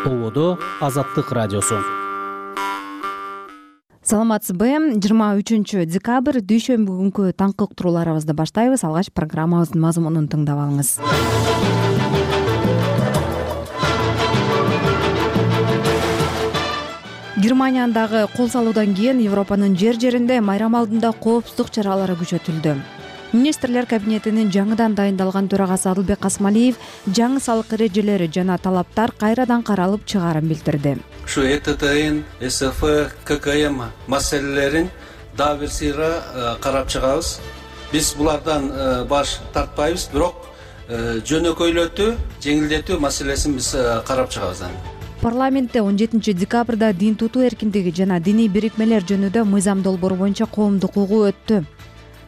Ободо Азаттык радиосу. Саламатсызбы? 23 декабрь дүйшөмбү күнкү таңкы уктурууларыбызды баштайбыз. Алгач программабыздын мазмунун тыңдап алыңыз. Германиядагы кол салуудан кийин Европанын жер-жеринде майрам алдында коопсуздук чаралары күчөтүлдү. Министрлер кабинетинин жаңыдан дайындалган төрагасы Адылбек Касмалиев жаңы салык эрежелери жана талаптар кайрадан каралып чыгаарын билдирди. Şu ETT'nin, SF, KKM маселелерин дагы бир сыйра карап чыгабыз. Биз булардан баш тартпайбыз, бирок жөнөкөйлөтүү, жеңилдетүү маселесин биз карап чыгабыз. Парламентте 17 декабрда дин тутуу эркиндиги жана диний бирикмелер жөнүндө мыйзам долбоору боюнча коомдук угуу өттү.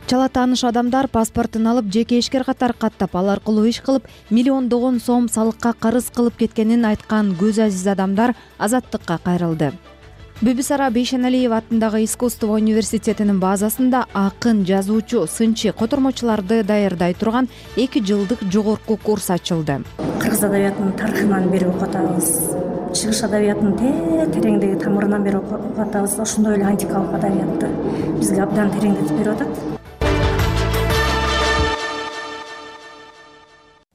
Чала тааныш адамдар паспортун алып жеке ишкер катары каттап, ал аркылуу иш кылып, миллиондогон сом салыкка карыз кылып кеткенин айткан көз азиз адамдар азаттыкка кайрылды. Бибисара Бейшеналиев атындагы искусство университетинин базасында акын, жазуучу, сынчы, котормочуларды даярдай турган 2 жылдык жогорку курс ачылды. Кыргыз адабиятынын тарыхынан бери окуп атабыз. Чыгыш адабиятынын тереңдеги тамырынан бери окуп атабыз. Ошондой эле антикалык адабиятты бизге абдан тереңдетип берип атат.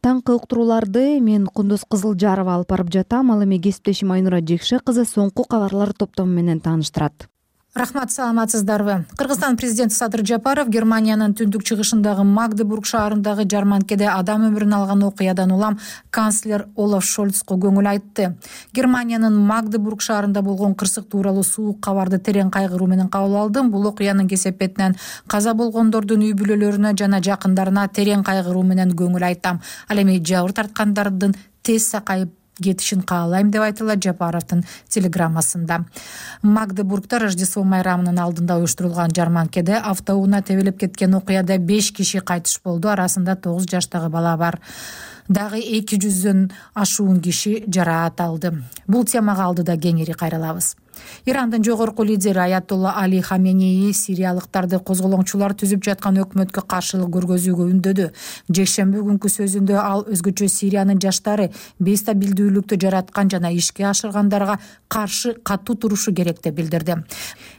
Таңкы уктурууларды мен Кундуз Кызылжарова алып барып жатам. Ал эми кесиптешим Айнура Жекше кызы соңку кабарлар топтому менен тааныштырат. Рахмат, саламатсыздарбы? Кыргызстан президенти Садыр Жапаров Германиянын түндүк чыгышындагы Магдебург шаарындагы жарманкеде адам өмүрүн алган окуядан улам канцлер Олаф Шольцко көңүл айтты. Германиянын Магдебург шаарында болгон кырсык тууралуу суук кабарды терең кайгыруу менен кабыл алдым. Бул окуянын кесепетинен каза болгондордун үй бүлөлөрүнө жана жакындарына терең кайгыруу менен көңүл айтам. Ал эми жабыр тарткандардын тез сакайып кетишин каалайм деп айтылат Жапаровдун телеграммасында. Магдебургда Рождество майрамынын алдында уюштурулган жарманкеде автоунаа тебелеп кеткен окуяда 5 киши кайтыш болду. Арасында 9 жаштагы бала бар. Дагы 200дөн ашуун киши жараат алды. Бул темага алдыда кеңири кайрылабыз. Ирандын жогорку лидери Аятолла Али Хаменеи сириялыктарды козголоңчулар түзүп жаткан өкмөткө каршылык көргөзүүгө үндөдү. Жекшемби күнкү сөзүндө ал өзгөчө Сириянын жаштары бейстабилдүүлүктү жараткан жана ишке ашыргандарга каршы катуу турушу керек деп билдирди.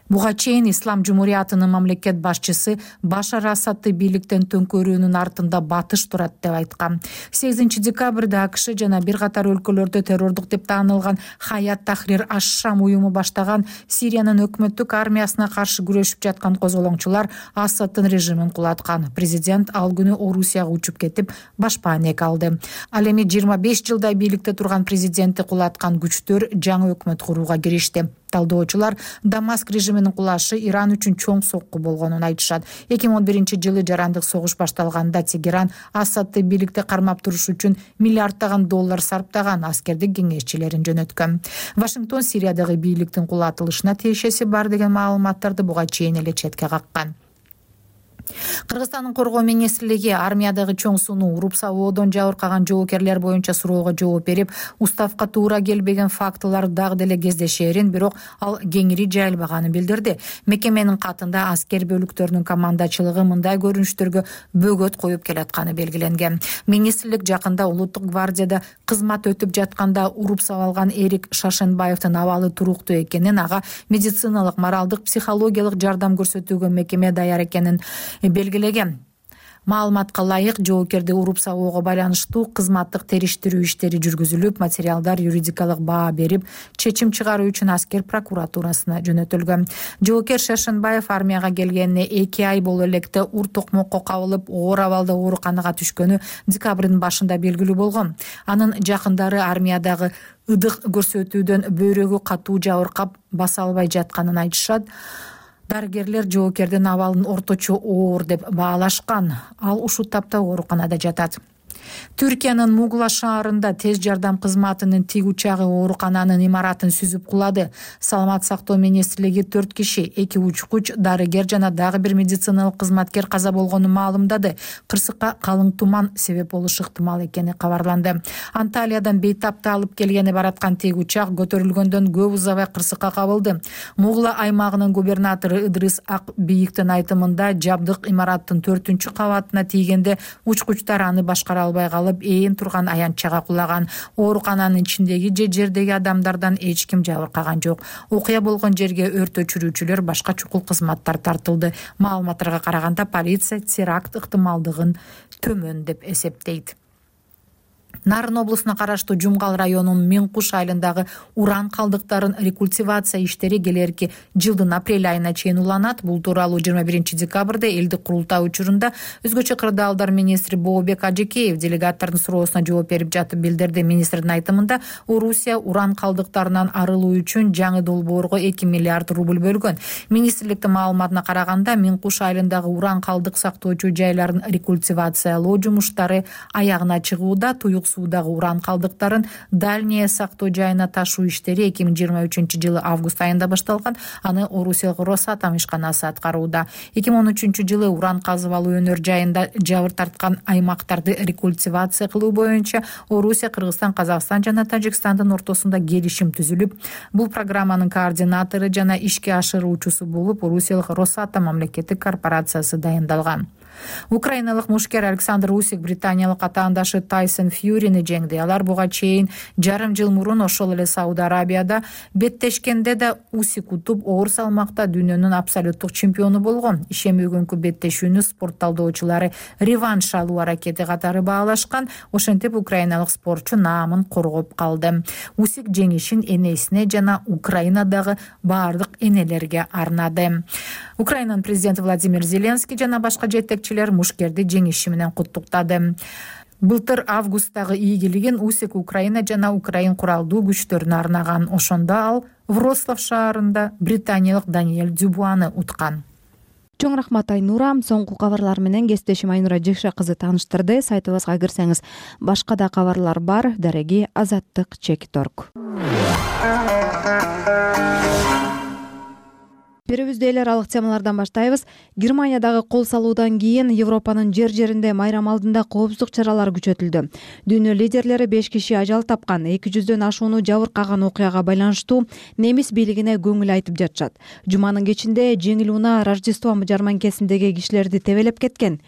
Буга чейин Ислам Жумуриятынын мамлекет башчысы Башар Асадты бийликтен төңкөрүүнүн артында батыш турат деп айткан. 8 декабрда АКШ жана бир катар өлкөлөрдө террордук деп таанылган Хаят Тахрир аш-Шам уюму баштаган Сириянын өкмөттүк армиясына каршы күрөшүп жаткан козголоңчулар Асадтын режимин кулаткан. Президент ал күнү Орусияга учуп кетип, баш паанек алды. Ал эми 25 жылдай бийликте турган президентти кулаткан күчтөр жаңы өкмөт курууга киришти. Талдоочулар Дамаск режиминин кулашы Иран үчүн чоң сокку болгонун айтышат. 2011 жылы жарандык согуш башталганда Тегеран Асадты бийликте кармап туруш үчүн миллиарддаган доллар сарптаган аскердик кеңешчилерин жөнөткөн. Вашингтон Сириядагы бийликтин кулатылышына тиешеси бар деген маалыматтарды буга чейин эле четке каккан. Кыргызстандын коргоо министрлиги армиядагы чоң сууну уруп сабоодон жабыркаган жоокерлер боюнча суроого жооп берип, уставка туура келбеген фактылар дагы деле кездешээрин, бирок ал кеңири жайылбаганын билдирди. Мекеменин катында аскер бөлүктөрүнүн командачылыгы мындай көрүнүштөргө бөгөт коюп келатканы белгиленген. Министрлик жакында улуттук гвардияда кызмат өтүп жатканда уруп сабалган Эрик Шашенбаевдин абалы туруктуу экенин, ага медициналык, моралдык, психологиялык жардам көрсөтүүгө мекеме даяр экенин белгилеген. Маалыматка ылайык, жоокерди уруп сабоого байланыштуу кызматтык териштирүү иштери жүргүзүлүп, материалдар юридикалык баа берип, чечим чыгаруу үчүн аскер прокуратурасына жөнөтүлгөн. Жоокер Шашенбаев армияга келгенине 2 ай боло электе ур токмокко кабылып, оор абалда ооруканага түшкөнү декабрдын башында белгилүү болгон. Анын жакындары армиядагы ыдык көрсөтүүдөн бөйрөгү катуу жабыркап, баса албай жатканын айтышат. Дарыгерлер жоокердин абалын орточо оор деп баалашкан. Ал ушул тапта ооруканада жатат. Түркиянын Мугла шаарында тез жардам кызматынын тиг учагы оорукананын имаратын сүзүп кулады. Саламат сактоо министрлиги 4 киши, 2 учкуч, дарыгер жана дагы бир медициналык кызматкер каза болгонун маалымдады. Кырсыкка калың туман себеп болушу ыктымал экени кабарланды. Анталиядан бейтапты алып келгени бараткан тиг учак көтөрүлгөндөн көп узабай кырсыкка кабылды. Мугла аймагынын губернатору Ыдрыс Ак Бийиктин айтымында жабдык имараттын 4-кабатына тийгенде учкучтар аны башкара албай албай калып ээн турган аянтчага кулаган. Оорукананын ичиндеги же жердеги адамдардан эч ким жабыркаган жок. Окуя болгон жерге өрт өчүрүүчүлөр, башка чукул кызматтар тартылды. Маалыматтарга караганда полиция теракт ыктымалдыгын төмөн деп эсептейт. Нарын облусуна караштуу Жумгал районунун Миңкуш айылындагы уран калдыктарын рекультивация иштери келерки жылдын апрель айына чейин уланат. Бул тууралуу 21 декабрда элдик курултай учурунда өзгөчө кырдаалдар министри Бообек Ажекеев делегаттардын суроосуна жооп берип жатып билдирди. Министрдин айтымында, Орусия уран калдыктарынан арылуу үчүн жаңы долбоорго 2 миллиард рубль бөлгөн. Министрликтин маалыматына караганда, Миңкуш айылындагы уран калдык сактоочу жайларын рекультивациялоо жумуштары аягына чыгууда. Суудагы уран калдыктарын дальний сактоо жайына ташуу иштери 2023 август айында башталган. Аны Орусиялык Росатом ишканасы аткарууда. 2013 уран казып алуу өнөр жайында жабыр тарткан аймактарды рекультивация кылуу боюнча Орусия, Кыргызстан, Казакстан жана Тажикстандын ортосунда келишим түзүлүп, бул программанын координатору жана ишке ашыруучусу болуп Орусиялык Росатом мамлекеттик корпорациясы дайындалган. Украиналык мушкер Александр Усик британиялык атаандашы Тайсон Фьюрини жеңди. Алар буга чейин жарым жыл мурун ошол эле Сауд Арабияда беттешкенде да Усик утуп, оор салмакта дүйнөнүн абсолюттук чемпиону болгон. Ишембөгүнкү беттешүүнү спорт талдоочулары реванш алуу аракети катары баалашкан. Ошентип украиналык спортчу наамын коргоп калды. Усик жеңишин энесине жана Украинадагы баардык энелерге арнады. Украинанын президенти Владимир Зеленский жана башка жетекчилер мушкерди жеңиши менен куттуктады. Былтыр августтагы ийгилигин Усик Украина жана Украин куралдуу күчтөрүнө арнаган. Ошондо ал Вроцлав шаарында британиялык Даниэль Дюбуаны уткан. Чоң рахмат Айнура. Соңку кабарлар менен кесиптешим Айнура Жекше кызы тааныштырды. Сайтыбызга кирсеңиз башка да кабарлар бар. Дареги Азаттык Чекторг. Берүүбүздө эл аралык темалардан баштайбыз. Германиядагы кол салуудан кийин Европанын жер-жеринде майрам алдында коопсуздук чаралары күчөтүлдү. Дүйнө лидерлери 5 киши ажал тапкан, 200дөн ашууну жабыркаган окуяга байланыштуу немис бийлигине көңүл айтып жатышат. Жуманын кечинде жеңил унаа Рождество жарманкесиндеги кишилерди тебелеп кеткен.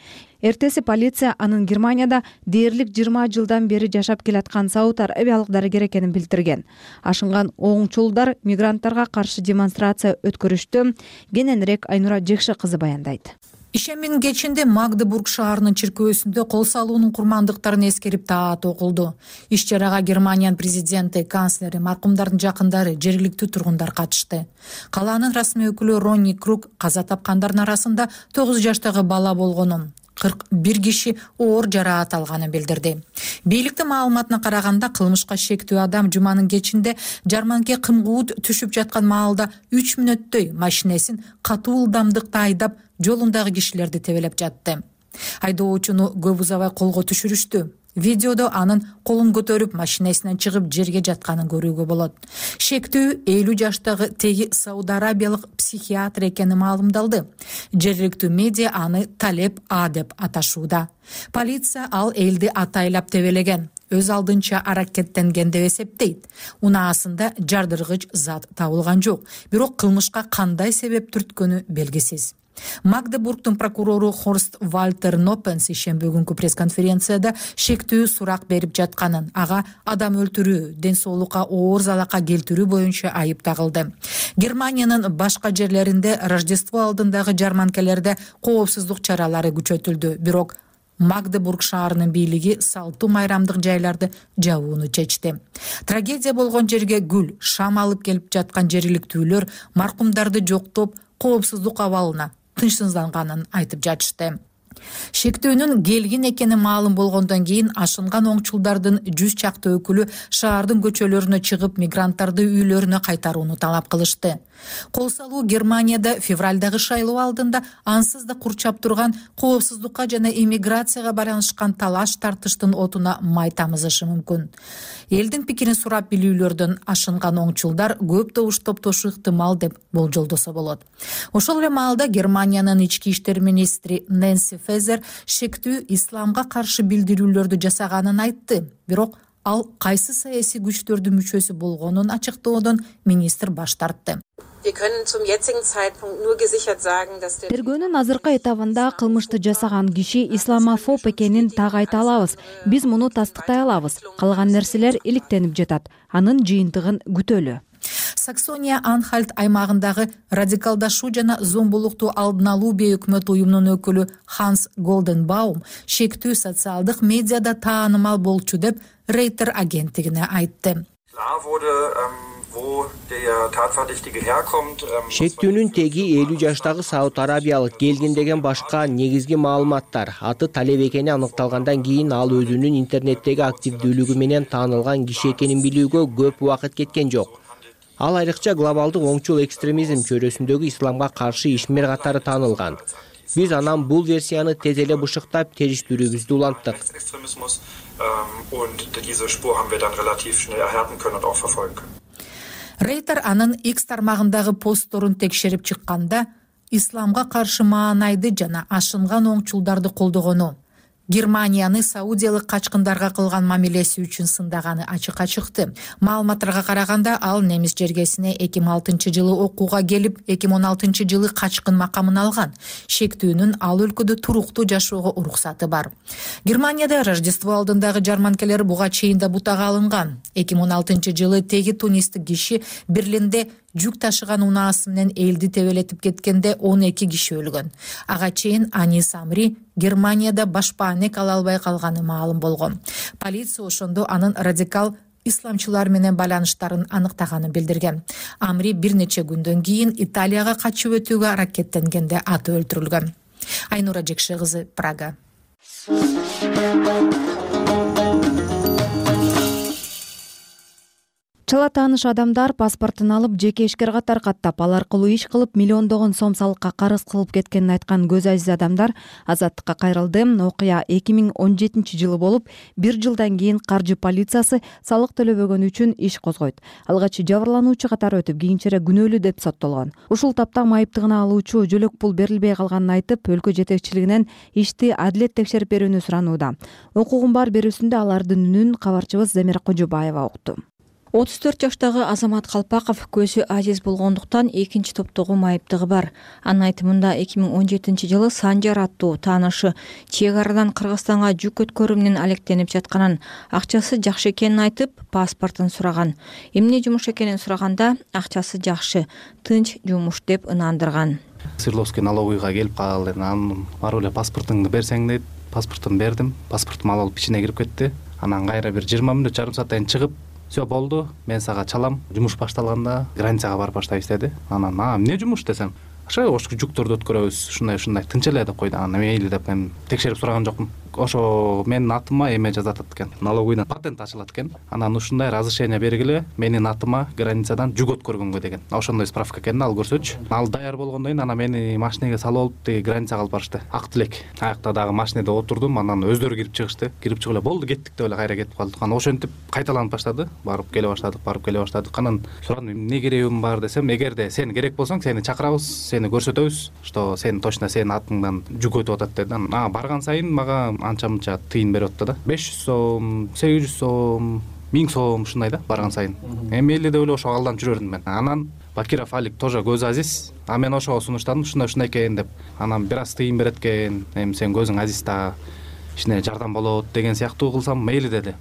Эртеси полиция анын Германияда дээрлик 20 жылдан бери жашап келаткан Сауд Арабиялык дарыгер экенин билдирген. Ашынган оңчулдар мигранттарга каршы демонстрация өткөрүштү. Кененирээк Айнура Жекше кызы баяндайт. Ишембинин кечинде Магдебург шаарынын чиркөөсүндө кол салуунун курмандыктарын эскерип таат окулду. Иш-чарага Германиянын президенти, канцлери, маркумдардын жакындары, жергиликтүү тургундар катышты. Калаанын расмий өкүлү Ронни Круг каза тапкандардын арасында 9 жаштагы бала болгонун, 41 киши оор жараат алганын билдирди. Бийликтин маалыматына караганда, кылмышка шектүү адам жуманын кечинде жарманке кымгуут түшүп жаткан маалда 3 мүнөттөй машинесин катуу ылдамдыкта айдап, жолундагы кишилерди тебелеп жатты. Айдоочуну көп узабай колго түшүрүштү. Видеодо анын колун көтөрүп машинесинен чыгып жерге жатканын көрүүгө болот. Шектүү 50 жаштагы теги Сауд Арабиялык психиатр экени маалымдалды. Жергиликтүү медиа аны Талеп А деп аташууда. Полиция ал элди атайлап тебелеген, өз алдынча аракеттенген деп эсептейт. Унаасында жардыргыч зат табылган жок, бирок кылмышка кандай себеп түрткөнү белгисиз. Магдебургдун прокурору Хорст Вальтер Ноппенс ишембөгүнкү пресс-конференцияда шектүү сурак берип жатканын, ага адам өлтүрүү, ден соолукка оор залакка келтирүү боюнча айып тагылды. Германиянын башка жерлеринде Рождество алдындагы жарманкелерде коопсуздук чаралары күчөтүлдү, бирок Магдебург шаарынын бийлиги салтуу майрамдык жайларды жабууну чечти. Трагедия болгон жерге гүл, шам алып келип жаткан жергиликтүүлөр маркумдарды жоктоп, коопсуздук абалына тынчсызданганын айтып жатышты. Шектөөнүн келгин экени маалым болгондон кийин ашынган оңчулдардын 100 чакты өкүлү шаардын көчөлөрүнө чыгып, мигранттарды үйлөрүнө кайтарууну талап кылышты. Кол салуу Германияда февралдагы шайлоо алдында ансыз да курчап турган коопсуздукка жана иммиграцияга байланышкан талаш тартыштын отуна май тамызышы мүмкүн. Элдин пикирин сурап билүүлөрдөн ашынган оңчулдар көп добуш топтошу ыктымал деп болжолдосо болот. Ошол эле маалда Германиянын ички иштер министри Нэнси Фезер шектүү исламга каршы билдирүүлөрдү жасаганын айтты, бирок ал кайсы саясий күчтөрдүн мүчөсү болгонун ачыктоодон министр баш тартты. Wir können zum jetzigen Zeitpunkt nur gesichert sagen, dass der Тергөөнүн азыркы этабында кылмышты жасаган киши исламофоб экенин так айта алабыз. Биз муну тастыктай алабыз. Калган нерселер иликтенип жатат. Анын жыйынтыгын күтөлү. Саксония Анхальт аймагындагы радикалдашуу жана зомбулукту алдын алуу бейөкмөт уюмунун өкүлү Ханс Голденбаум шектүү социалдык медиада таанымал болчу деп Рейтер агенттигине айтты. Шектүүнүн теги 50 жаштагы Сауд Арабиялык келгин деген башка негизги маалыматтар. Аты талеп экени аныкталгандан кийин ал өзүнүн интернеттеги активдүүлүгү менен таанылган киши экенин билүүгө көп убакыт кеткен жок. Ал айрыкча глобалдык оңчул экстремизм чөйрөсүндөгү исламга каршы ишмер катары таанылган. Биз анан бул версияны тез эле бышыктап, териштирүүбүздү уланттык. Рейтер анын X тармагындагы постторун текшерип чыкканда исламга каршы маанайды жана ашынган оңчулдарды колдогону, Германияны саудиялык качкындарга кылган мамилеси үчүн сындаганы ачыкка чыкты. Маалыматтарга караганда ал немис жергесине 2006-жылы окууга келип, 2016-жылы качкын макамын алган. Шектүүнүн ал өлкөдө туруктуу жашоого уруксаты бар. Германияда Рождество алдындагы жарманкелер буга чейин да бутага алынган. 2016-жылы теги тунистик киши Берлинде жүк ташыган унаасы менен элди тебелетип кеткенде 12 киши өлгөн. Ага чейин Анис Амри Германияда башпаанек ала албай калганы маалым болгон. Полиция ошондо анын радикал исламчылар менен байланыштарын аныктаганын билдирген. Амри бир нече күндөн кийин Италияга качып өтүүгө аракеттенгенде аты өлтүрүлгөн. Айнура Жекше кызы, Прага. Чала тааныш адамдар паспортун алып жеке ишкерге таркаттап, ал аркылуу иш кылып миллиондогон сом салыкка карыз кылып кеткенин айткан көз азиз адамдар азаттыкка кайрылды. Окуя 2017-жылы болуп, 1 жылдан кийин каржы полициясы салык төлөбөгөн үчүн иш козгойт. Алгач жабырлануучу катары өтүп, кийинчерээк күнөөлүү деп соттолгон. Ушул тапта майыптыгына алуучу жөлөк пул берилбей калганын айтып, өлкө жетекчилигинен ишти адилет текшерип берүүнү суранууда. Укугун бар берүүсүндө алардын үнүн кабарчыбыз Замира Кожобаева укту. 34 жаштагы Азамат Калпаков көзү азиз болгондуктан экинчи топтогу майыптыгы бар. Анын айтымында 2017-жылы Санжар аттуу таанышы чек арадан Кыргызстанга жүк өткөрүү менен алектенип жатканын, акчасы жакшы экенин айтып, паспортун сураган. Эмне жумуш экенин сураганда, акчасы жакшы, тынч жумуш деп ынандырган. Свердловский налоговыйга келип калды. Анан барып эле паспортуңду берсең дейт. Паспортун бердим. Паспортум алып ичине кирип кетти. Анан кайра бир 20 мүнөт, жарым сааттан чыгып, все болду, мен сага чалам. Жумуш башталганда границага барып баштайбыз деди. Анан эмне жумуш десем, ошо жүктөрдү өткөрөбүз, ушундай тынч эле деп койду. Анан мейли деп мен текшерип сураган жокмун. Ошо менин атыма эме жазатат экен. Налоговыйдан патент ачылат экен. Анан ушундай разрешение бергиле, менин атыма границадан жүк өткөргөнгө деген. Ошондой справка экен, ал көрсөчү. Ал даяр болгондон кийин анан мени машинеге салып алып, теги границага алып барышты. Ак Тилек. Аякта дагы машинеде отурдум, анан өздөрү кирип чыгышты. Кирип чыгып эле болду, кеттик деп эле кайра кетип калдык. Анан ошентип кайталанып баштады. Барып келе баштадык. Анан сурадым, эмне керегим бар десем, эгерде сен керек болсоң, сени чакырабыз, сени көрсөтөбүз, что сен точно сенин атыңдан жүк өтүп атат деди. Анан барган сайын мага анча-мынча тыйын берип атты да. 500 сом, 800 сом, 1000 сом ушундай да барган сайын. Мейли деп эле ошо алдан жүрөрдүм мен. Анан Бакиров Алик тоже көз азиз. Мен ошого сунуштадым, ушундай экен деп. Анан бир аз тыйын берет экен. Эми сен көзүң азиз да, ишине жардам болот деген сыяктуу кылсам мейли деди.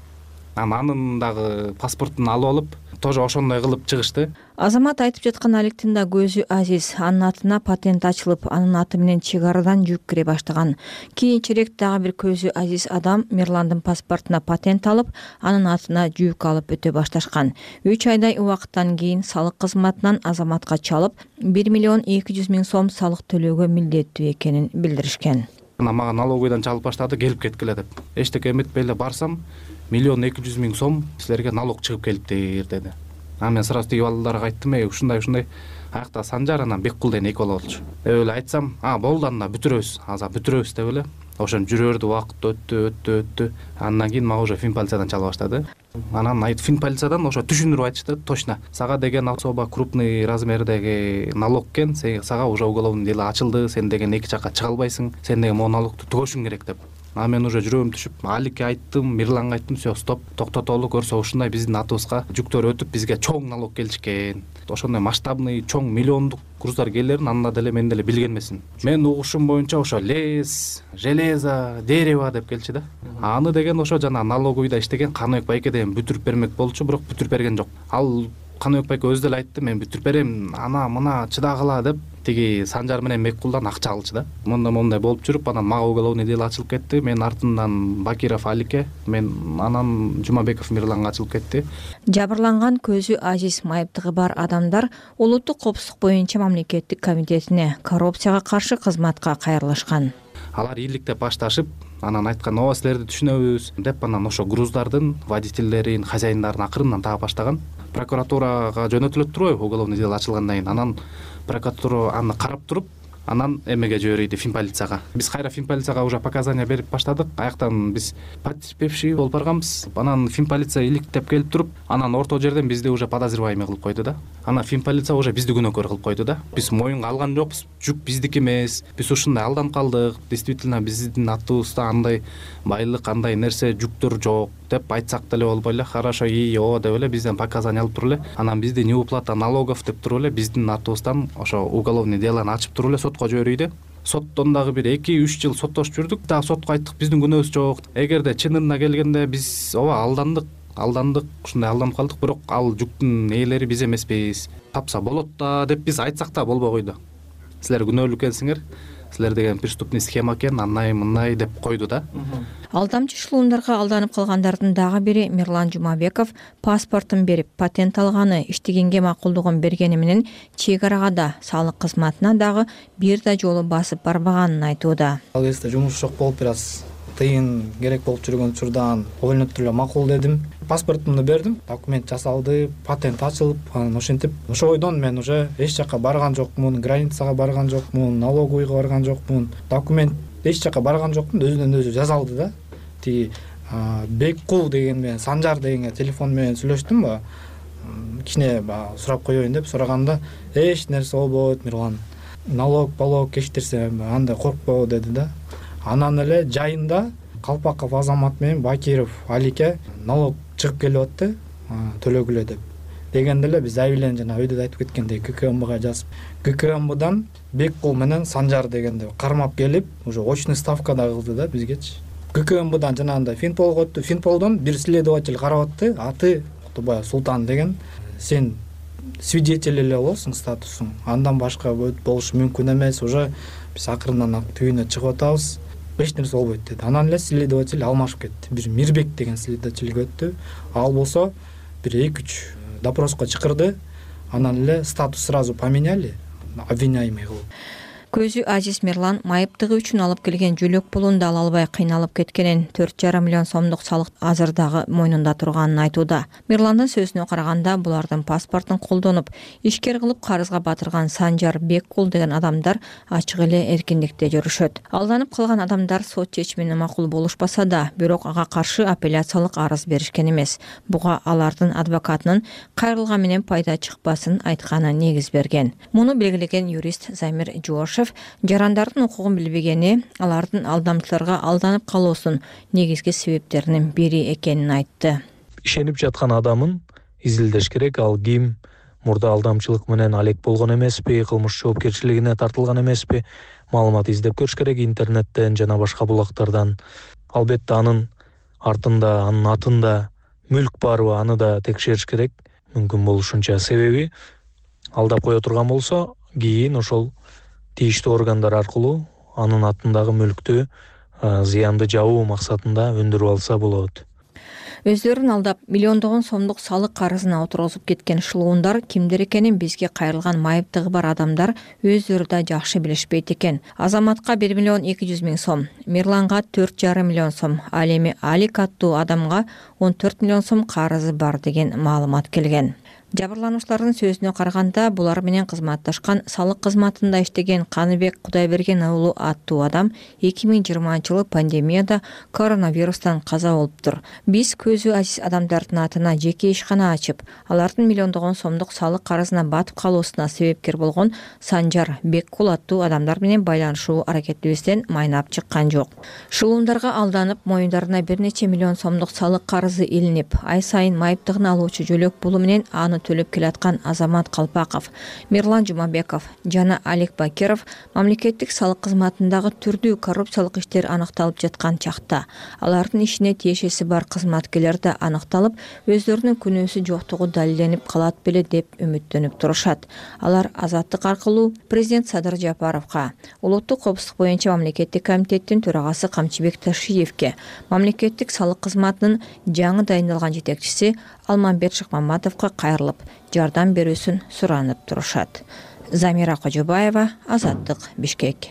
Анын дагы паспортун алып алып, тоже ошондой кылып чыгышты. Азамат айтып жаткан Аликтин да көзү азиз. Анын атына патент ачылып, анын аты менен чек арадан жүк кире баштаган. Кийинчерээк дагы бир көзү азиз адам Мирландын паспортуна патент алып, анын атына жүк алып өтө башташкан. 3 айдай убакыттан кийин салык кызматынан Азаматка чалып, 1,2 миллион сом салык төлөөгө милдеттүү экенин билдиришкен. Мага налоговыйдан чалып баштады, келип кеткиле деп. Эчтеке эметпей эле барсам, 1,2 миллион сом силерге налог чыгып келиптир деди. Мен сразу тиги балдарга айттым, ушундай. Аякта Санжар анан Беккул деген эки бала болчу. Деп эле айтсам, болду анда бүтүрөбүз, аза бүтүрөбүз деп эле. Ошентип жүрөрдү, убакыт өттү. Андан кийин мага уже финполициядан чала баштады. Анан финполициядан ошо түшүндүрүп айтышты, точно. Сага деген особо крупный размердеги налог экен, сага уже уголовный дело ачылды, сен деген эки жакка чыга албайсың, сен деген могу налогту түгөшүң керек деп. Анан мен уже жүрөгүм түшүп Аликке айттым, Мирланга айттым, все, стоп, токтотолу, көрсө ушундай биздин атыбызга жүктөр өтүп, бизге чоң налог келишкен. Ошондой масштабный, чоң миллиондук груздар келерин анда деле мен деле билген эмесмин. Мен угушум боюнча ошо лес, железо, дерево деп келчү да. Аны деген ошо жана налоговыйда иштеген Каныбек байке деген бүтүрүп бермек болчу, бирок бүтүрүп берген жок. Ал Каныбек байке өзү деле айтты, мен бүтүрүп берем, ана мына чыдагыла деп тиги Санжар менен Меккулдан акча алчу да. Мондай болуп жүрүп, анан мага уголовный дело ачылып кетти. Мен артынан Бакиров Аликке, мен анан Жумабеков Мирланга ачылып кетти. Жабырланган көзү ажиз майыптыгы бар адамдар улуттук коопсуздук боюнча мамлекеттик комитетине коррупцияга каршы кызматка кайрылышкан. Алар ийгиликтеп башташып, анан айткан, ооба силерди түшүнөбүз деп, анан ошо груздардын водительдерин, хозяиндарын акырындан таап баштаган. Прокуратурага жөнөтүлөт турбайбы, уголовный дело ачылгандан кийин. Анан прокуратура аны карап туруп, анан эмеге жиберди, финполицияга. Биз кайра финполицияга уже показания берип баштадык. Аяктан биз потерпевший болуп барганбыз. Анан финполиция иликтеп келип туруп, анан орто жерден бизди уже подозреваемый кылып койду да. Анан финполиция уже бизди күнөөкөр кылып койду да. Биз моюнга алган жокпуз, жүк биздики эмес. Биз ушундай алданып калдык. Действительно биздин атыбызда андай байлык, андай нерсе, жүктөр жок деп айтсак деле болбой эле. Хорошо, оо деп эле бизден показания алып туруп эле. Анан бизди неуплата налогов деп туруп эле биздин атыбыздан ошо уголовный делону ачып туруп эле сотко жиберүүдө. Соттон дагы бир 2-3 жыл соттошуп жүрдүк. Дагы сотко айттык, биздин күнөөбүз жок. Эгерде чынына келгенде биз ооба алдандык, ушундай алданып калдык, бирок ал жүктүн ээлери биз эмеспиз. Тапса болот да деп биз айтсак да болбой койду. Силер күнөөлүү экенсиңер, силер деген преступный схема экен, андай мындай деп койду да. Алдамчы шлундарга алданып калгандардын дагы бири Мирлан Жумабеков паспортун берип, патент алганы, иштегенге макулдугун бергени менен чек арага да, салык кызматына дагы бир да жолу басып барбаганын айтууда. Ал кезде жумуш жок болуп, бир аз тыйын керек болуп жүргөн учурдан ойлонуп туруп эле макул дедим. Паспортумду бердим, документ жасалды, патент ачылып, анан ошентип ошо бойдон мен уже эч жака барган жокмун, границага барган жокмун, налоговыйга барган жокмун. Документ эч жака барган жокмун, өзүнөн өзү жазалды да. Тиги Беккул деген менен Санжар дегенге телефон менен сүйлөштүм ба. Кичине сурап коеюн деп сураганда, эч нерсе болбойт, Мирлан. Налог кечтирсе андай коркпо деди да. Анан эле жайында Калпаков Азамат менен Бакиров Аликке налог чыгып келип атты, төлөгүлө деп. Дегенде эле биз заявление жана өйдө айтып кеткендей ГКМБга жазып, ГКМБдан Беккул менен Санжар дегенде кармап келип, уже очный ставка да кылды да бизгечи. ГКМБдан жанагындай Финполго өттү. Финполдон бир следователь карап атты, аты Кутубаев Султан деген. Сен свидетель эле болосуң, статусуң. Андан башка болушу мүмкүн эмес. Уже биз акырындан түйүнө чыгып атабыз. Эч нерсе болбойт деди. Анан эле следователь алмашып кетти. Бир Мирбек деген следовательге өттү. Ал болсо бир 2-3 допроско чакырды. Анан эле статус сразу поменяли, обвиняемый кылып. Көзү ажиз Мирлан майыптыгы үчүн алып келген жөлөк пулун да ала албай кыйналып кеткенин, 4,5 миллион сомдук салык азыр дагы мойнунда турганын айтууда. Мирландын сөзүнө караганда, булардын паспортун колдонуп, ишкер кылып карызга батырган Санжар, Беккул деген адамдар ачык эле эркиндикте жүрүшөт. Алданып калган адамдар сот чечимине макул болушпаса да, бирок ага каршы апелляциялык арыз беришкен эмес. Буга алардын адвокатынын кайрылган менен пайда чыкпасын айтканы негиз берген. Муну белгилеген юрист Замир Жошев жарандардын укугун билбегени, алардын алдамчыларга алданып калуусунун негизги себептеринин бири экенин айтты. Ишенип жаткан адамын изилдеш керек, ал ким, мурда алдамчылык менен алек болгон эмеспи, кылмыш жоопкерчилигине тартылган эмеспи, маалымат издеп көрүш керек интернеттен жана башка булактардан. Албетте анын артында, анын атында мүлк барбы, аны да текшериш керек мүмкүн болушунча. Себеби алдап кое турган болсо, кийин ошол тийиштүү органдар аркылуу анын атындагы мүлктү зыянды жабуу максатында өндүрүп алса болот. Өздөрүн алдап миллиондогон сомдук салык карызына отургузуп кеткен шылуундар кимдер экенин бизге кайрылган майыптыгы бар адамдар өздөрү да жакшы билишпейт экен. Азаматка 1 миллион 200 миң сом, Мирланга 4,5 миллион сом, ал эми Алик аттуу адамга 14 миллион сом карызы бар деген маалымат келген. Жабырлануучулардын сөзүнө караганда, булар менен кызматташкан салык кызматында иштеген Каныбек Кудайберген уулу аттуу адам 2020-жылы пандемияда коронавирустан каза болуптур. Биз көзү азиз адамдардын атына жеке ишкана ачып, алардын миллиондогон сомдук салык карызына батып калуусуна себепкер болгон Санжар Беккул аттуу адамдар менен байланышуу аракетибизден майнап чыккан жок. Шылуундарга алданып, моюндарына бир нече миллион сомдук салык карызы илинип, ай сайын майыптыгын алуучу жөлөк пулу менен аны төлөп келаткан Азамат Калпаков, Мирлан Жумабеков жана Алик Бакиров мамлекеттик салык кызматындагы түрдүү коррупциялык иштер аныкталып жаткан чакта алардын ишине тиешеси бар кызматкерлер да аныкталып, өздөрүнүн күнөөсү жоктугу далилденип калат беле деп үмүттөнүп турушат. Алар азаттык аркылуу президент Садыр Жапаровго, улуттук коопсуздук боюнча мамлекеттик комитеттин төрагасы Камчыбек Ташиевке, мамлекеттик салык кызматынын жаңы дайындалган жетекчиси Алмамбет Шыкмаматовго кайрылып, жардам берүүсүн суранып турушат. Замира Кожобаева, Азаттык, Бишкек.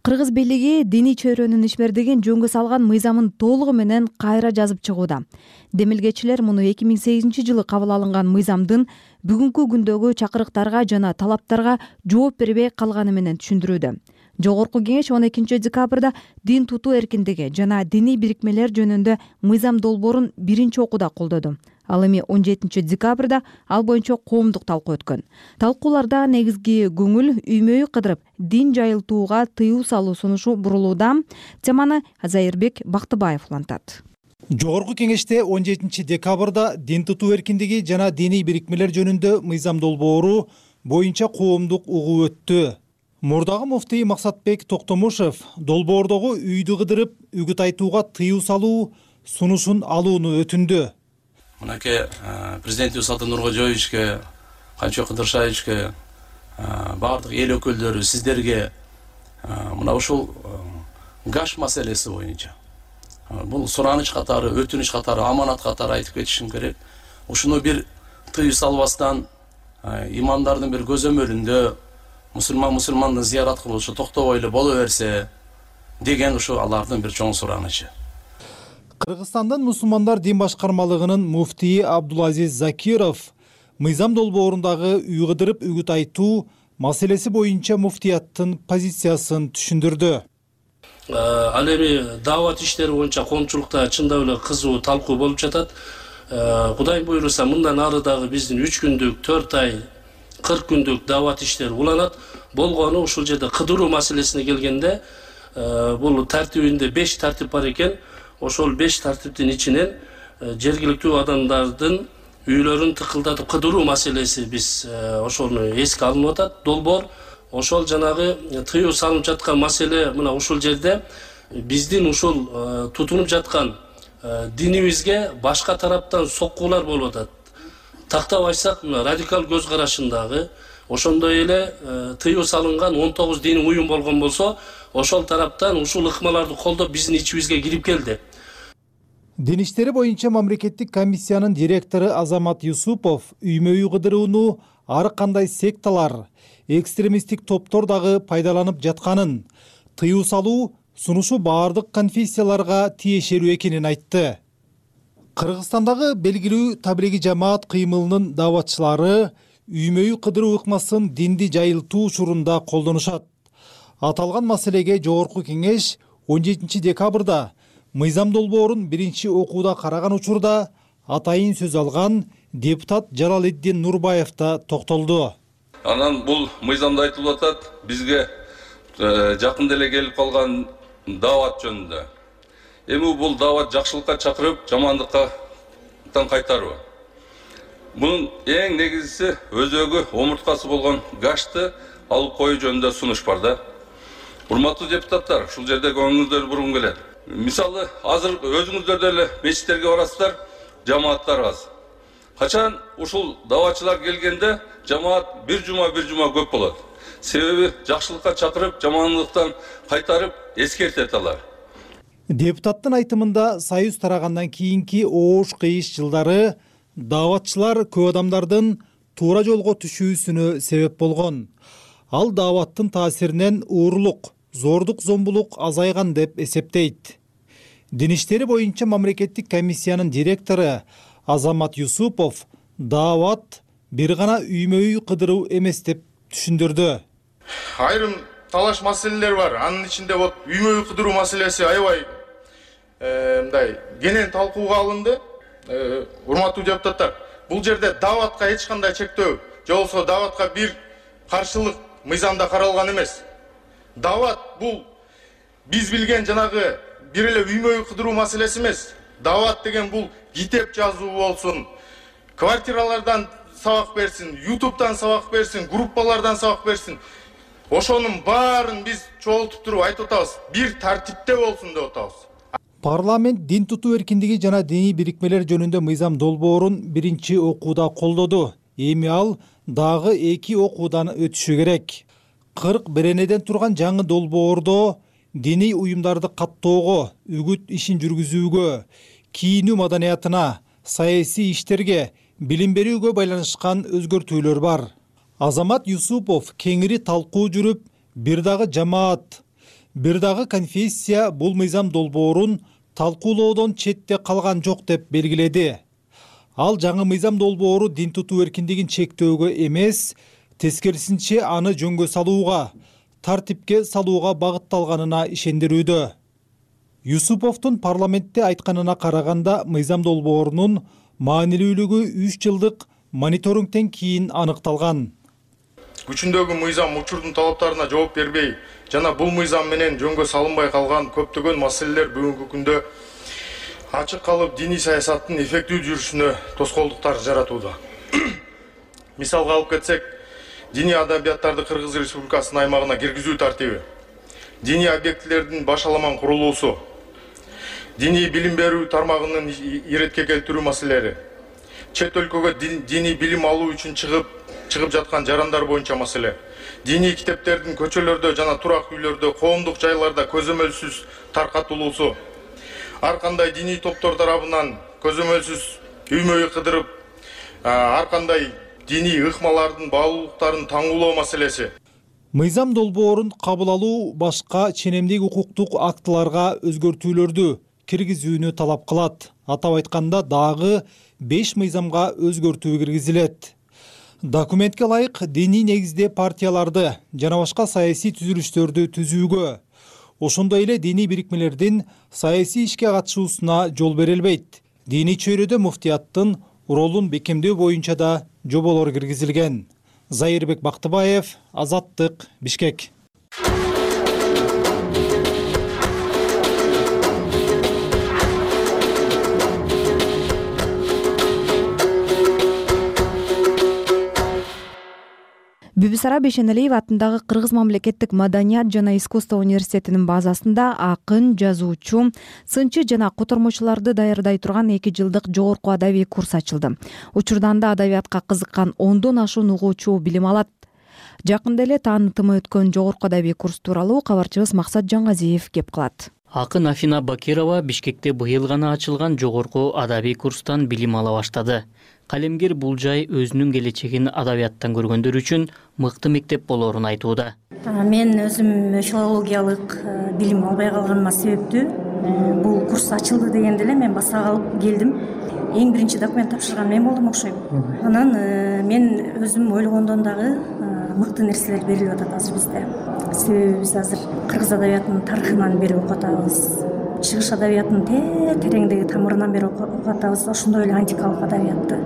Кыргыз бийлиги диний чөйрөнүн ишмердигин жөнгө салган мыйзамын толугу менен кайра жазып чыгууда. Демилгечилер муну 2008-жылы кабыл алынган мыйзамдын бүгүнкү күндөгү чакырыктарга жана талаптарга жооп бербей калганы менен түшүндүрүүдө. Жогорку кеңеш 12-декабрда дин тутуу эркиндиги жана диний бирикмелер жөнүндө мыйзам долбоорун биринчи окууда колдоду. Ал эми 17-декабрда ал боюнча коомдук талкуу өткөн. Талкууларда негизги көңүл үймөй кыдырып, дин жайылтууга тыюу салуу сунушу бурулууда. Теманы Азайырбек Бактыбаев улантат. Жогорку кеңеште 17-декабрда дин тутуу эркиндиги жана диний бирикмелер жөнүндө мыйзам долбоору боюнча коомдук угуу өттү. Мурдагы муфтий Максатбек Токтомушев долбоордогу үйдү кыдырып, үгүт айтууга тыюу салуу сунушун алууну өтүндү. Мынакей президент Нурсултан Нуркожоевичке, Канчо Кыдыршаевичке, баардык эл өкүлдөрү сиздерге мына ушул гаш маселеси боюнча бул сураныч катары, өтүнүч катары, аманат катары айтып кетишим керек. Ушуну бир тыюу салбастан имамдардын бир көзөмөлүндө мусулмандын зыярат кылышы токтобой эле боло берсе деген ушу алардын бир чоң суранычы. Кыргызстандын мусулмандар дин башкармалыгынын муфтийи Абдулазиз Закиров мыйзам долбоорундагы үй кыдырып үгүт айтуу маселеси боюнча муфтияттын позициясын түшүндүрдү. Ал эми даават иштери боюнча коомчулукта чындап эле кызуу талкуу болуп жатат. Кудай буйруса мындан ары дагы биздин 3 күндүк, 4 ай, 40 күндүк даават иштери уланат. Болгону ушул жерде кыдыруу маселесине келгенде бул тартибинде 5 тартип бар экен. Ошол 5 тартиптин ичинен жергиликтүү адамдардын үйлөрүн тыкылдатып кыдыруу маселеси биз ошону эске алынып атат. Долбоор ошол жанагы тыюу салынып жаткан маселе мына ушул жерде биздин ушул тутунуп жаткан динибизге башка тараптан соккуулар болуп атат. Тактап айтсак, радикал көз карашындагы ошондой эле тыюу салынган 19 диний уюм болгон болсо, ошол тараптан ушул ыкмаларды колдоп биздин ичибизге кирип келди. Дин иштери боюнча мамлекеттик комиссиянын директору Азамат Юсупов үймө-үй кыдырууну ар кандай секталар, экстремисттик топтор дагы пайдаланып жатканын, тыюу салуу сунушу баардык конфессияларга тиешелүү экенин айтты. Кыргызстандагы белгилүү таблиги жамаат кыймылынын дааватчылары үймө-үй кыдыруу ыкмасын динди жайылтуу учурунда колдонушат. Аталган маселеге жогорку кеңеш 17-декабрда мыйзам долбоорун биринчи окууда караган учурда атайын сөз алган депутат Жалалетдин Нурбаев да токтолду. Анан бул мыйзамда айтылып атат, бизге жакында эле келип калган даават жөнүндө. Эми бул даават жакшылыкка чакырып, жамандыктан кайтаруу. Мунун эң негизгиси өзөгү омурткасы болгон гашты алып коюу жөнүндө сунуш бар да. Урматтуу депутаттар, ушул жерде көңүлүңүздөрдү бургум келет. Мисалы, азыр өзүңүздөр деле мечиттерге барасыздар, жамааттар аз. Качан ушул дааватчылар келгенде жамаат бир жума көп болот. Себеби жакшылыкка чакырып, жамандыктан кайтарып эскертет алар. Депутаттын айтымында союз тарагандан кийинки оош кыйыш жылдары дааватчылар көп адамдардын туура жолго түшүүсүнө себеп болгон. Ал дааваттын таасиринен уурулук, зордук зомбулук азайган деп эсептейт. Дин иштери боюнча мамлекеттик комиссиянын директору Азамат Юсупов даават бир гана үймө-үй кыдыруу эмес деп түшүндүрдү. Айрым талаш маселелер бар. Анын ичинде вот үймө-үй кыдыруу маселеси аябай мындай кенен талкууга алынды. Урматтуу депутаттар, бул жерде дааватка эч кандай чектөө, же болбосо дааватка бир каршылык мыйзамда каралган эмес. Даават бул биз билген жанагы бир эле үймө-үй кыдыруу маселеси эмес. Даават деген бул китеп жазуу болсун, квартиралардан сабак берсин, YouTube'дан сабак берсин, группалардан сабак берсин. Ошонун баарын биз чогултуп туруп айтып атабыз. Бир тартипте болсун деп атабыз. Парламент дин тутуу эркиндиги жана диний бирикмелер жөнүндө мыйзам долбоорун биринчи окууда колдоду. Эми ал дагы 2 окуудан өтүшү керек. 40 беренеден турган жаңы долбоордо диний уюмдарды каттоого, үгүт ишин жүргүзүүгө, кийинүү маданиятына, саясий иштерге, билим берүүгө байланышкан өзгөртүүлөр бар. Азамат Юсупов кеңири талкуу жүрүп, бир дагы жамаат, бир дагы конфессия бул мыйзам долбоорун талкуулоодон четте калган жок деп белгиледи. Ал жаңы мыйзам долбоору дин тутуу эркиндигин чектөөгө эмес, тескерисинче аны жөнгө салууга, тартипке салууга багытталганына ишендирүүдө. Юсуповдун парламентте айтканына караганда, мыйзам долбоорунун маанилүүлүгү 3 жылдык мониторингден кийин аныкталган. Күчүндөгү мыйзам учурдун талаптарына жооп бербей, жана бул мыйзам менен жөнгө салынбай калган көптөгөн маселелер бүгүнкү күндө ачык калып, диний саясаттын эффектүү жүрүшүнө тоскоолдуктар жаратууда. Мисалга алып кетсек, диний адабияттарды Кыргыз Республикасынын аймагына киргизүү тартиби, диний объектилердин башаламан курулуусу, диний билим берүү тармагынын иретке келтирүү маселелери, чет өлкөгө диний билим алуу үчүн чыгып жаткан жарандар боюнча маселе, диний китептердин көчөлөрдө жана турак үйлөрдө, коомдук жайларда көзөмөлсүз таркатылуусу, ар кандай диний топтор тарабынан көзөмөлсүз үймө-үй кыдырып, ар кандай диний ыкмалардын баалуулуктарын таңуулоо маселеси. Мыйзам долбоорун кабыл алуу башка ченемдик укуктук актыларга өзгөртүүлөрдү киргизүүнү талап кылат. Атап айтканда, дагы 5 мыйзамга өзгөртүү киргизилет. Документке ылайык диний негизде партияларды жана башка саясий түзүлүштөрдү түзүүгө, ошондой эле диний бирикмелердин саясий ишке катышуусуна жол берилбейт. Диний чөйрөдө муфтияттын ролун бекемдөө боюнча да жоболор киргизилген. Зайырбек Бактыбаев, Азаттык, Бишкек. Бүбүсара Бешеналиев атындагы Кыргыз мамлекеттик маданият жана искусство университетинин базасында акын, жазуучу, сынчы жана котормочуларды даярдай турган 2 жылдык жогорку адабий курс ачылды. Учурда анда адабиятка кызыккан 10дон ашуун угуучу билим алат. Жакында эле таанытымы өткөн жогорку адабий курс тууралуу кабарчыбыз Максат Жаңгазиев кеп кылат. Акын Афина Бакирова Бишкекте быйыл гана ачылган жогорку адабий курстан билим ала баштады. Калемгер бул жай өзүнүн келечегин адабияттан көргөндөр үчүн мыкты мектеп болоорун айтууда. Мен өзүм филологиялык билим албай калганыма себептүү бул курс ачылды дегенде эле мен баса калып келдим. Эң биринчи документ тапшырган мен болдум окшойм. Анан мен өзүм ойлогондон дагы мыкты нерселер берилип атат азыр бизде. Себеби биз азыр кыргыз адабиятынын тарыхынан бери окуп атабыз. Чыгыш адабиятынын тереңдеги тамырынан бери окуп атабыз. Ошондой эле антикалык адабиятты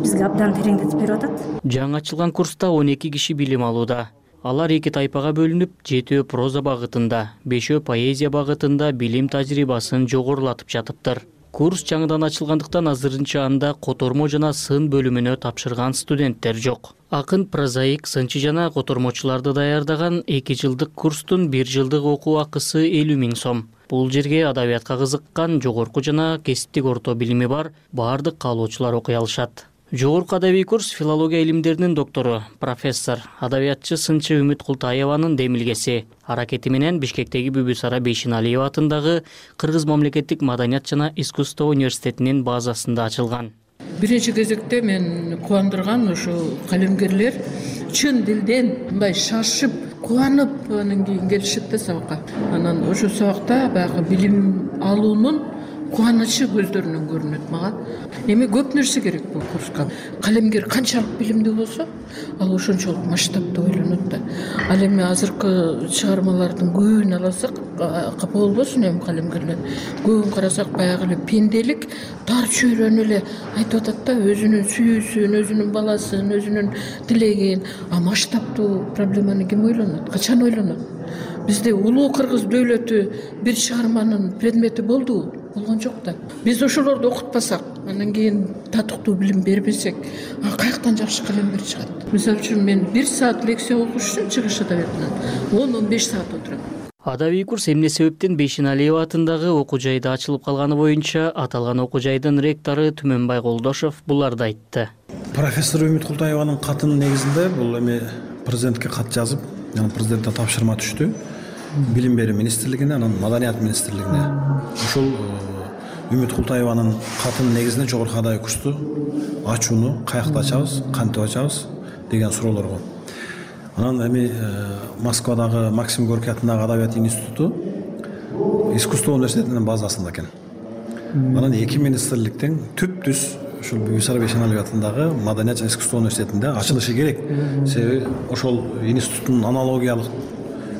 бизге абдан тереңдетип берип атат. Жаңы ачылган курста 12 киши билим алууда. Алар 2 тайпага бөлүнүп, 7 проза багытында, 5 поэзия багытында билим тажрыйбасын жогорулатып жатыптыр. Курс жаңыдан ачылгандыктан азырынча анда котормо жана сын бөлүмүнө тапшырган студенттер жок. Акын, прозаик, сынчы жана котормочуларды даярдаган 2 жылдык курстун 1 жылдык окуу акысы 50 000 сом. Бул жерге адабиятка кызыккан, жогорку жана кесиптик орто билими бар баардык каалоочулар окуй алышат. Жогорку адабий курс филология илимдеринин доктору, профессор, адабиятчы сынчы Үмүт Култаеванын демилгеси. Аракети менен Бишкектеги Бүбүсара Бейшеналиев атындагы Кыргыз мамлекеттик маданият жана искусство университетинин базасында ачылган. биринчи кезекте мен кубандырган ошо калемгерлер чын дилден мындай шашып кубанып анан кийин келишет да сабакка. Анан ошол сабакта баягы билим алуунун кубанычы көздөрүнөн көрүнөт мага. Эми көп нерсе керек бул курска. Калемгер канчалык билимдүү болсо, ал ошончолук масштабта ойлонот да. Ал эми азыркы чыгармалардын көбүн алсак, капа болбосун эми калемгерлер. Көбүн карасак баягы эле пенделик тар чөйрөнү эле айтып атат да, өзүнүн сүйүүсүн, өзүнүн баласын, өзүнүн тилегин. А масштабтуу проблеманы ким ойлонот? Качан ойлонот? Бизде улуу кыргыз дөөлөтү бир чыгарманын предмети болдубу? Болгон жок да. Биз ошолорду окутпасак, анан кийин татыктуу билим бербесек, каяктан жакшы калемгер чыгат? Мисалы үчүн мен 1 саат лекция окуш үчүн чыгыш адабиятынан 10-15 саат отурам. Адабий курс эмне себептен Бейшеналиева атындагы окуу жайда ачылып калганы боюнча аталган окуу жайдын ректору Түмөнбай Колдошов буларды айтты. Профессор Үмүт Култаеванын катынын негизинде бул эми президентке кат жазып, анан президенттен тапшырма түштү. Билим берүү министрлигине, анан Маданият министрлигине. Ошол Үмүт Култаеванын катынын негизинде жогорку адабий курсту ачууну каякта ачабыз, кантип ачабыз деген суроолорго. Анан эми Москвадагы Максим Горький атындагы Адабият институту искусство университетинин базасында экен. Анан эки министрликтин түп-түз ушул Бүйсара Бейшеналиева атындагы Маданият жана искусство университетинде ачылышы керек. Себеби ошол институттун аналогиялык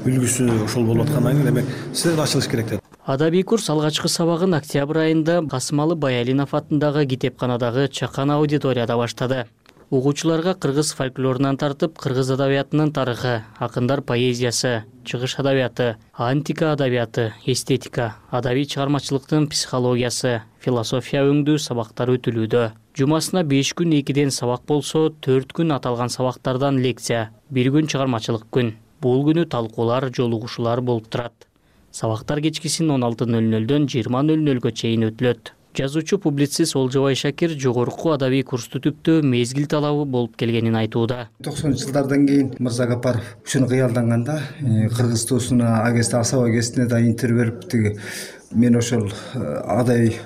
үлгүсү ошол болуп аткандан кийин демек силер ачылыш керек деп. Адабий курс алгачкы сабагын октябрь айында Касымалы Баялинов атындагы китепканадагы чакан аудиторияда баштады. Угуучуларга кыргыз фольклорунан тартып кыргыз адабиятынын тарыхы, акындар поэзиясы, чыгыш адабияты, антика адабияты, эстетика, адабий чыгармачылыктын психологиясы, философия өңдүү сабактар өтүлүүдө. Жумасына 5 күн 2ден сабак болсо, 4 күн аталган сабактардан лекция, 1 күн чыгармачылык күн. Бул күнү талкуулар, жолугушуулар болуп турат. Сабактар кечкисин 16:00дөн 20:00га чейин өтүлөт. Жазуучу публицист Олжобай Шакир жогорку адабий курсту түптөө мезгил талабы болуп келгенин айтууда. 90-жылдардан кийин Мырза Гапаров ушуну кыялданганда кыргыз туусуна агесте асаба агестине да интервью берип тиги мен ошол адабий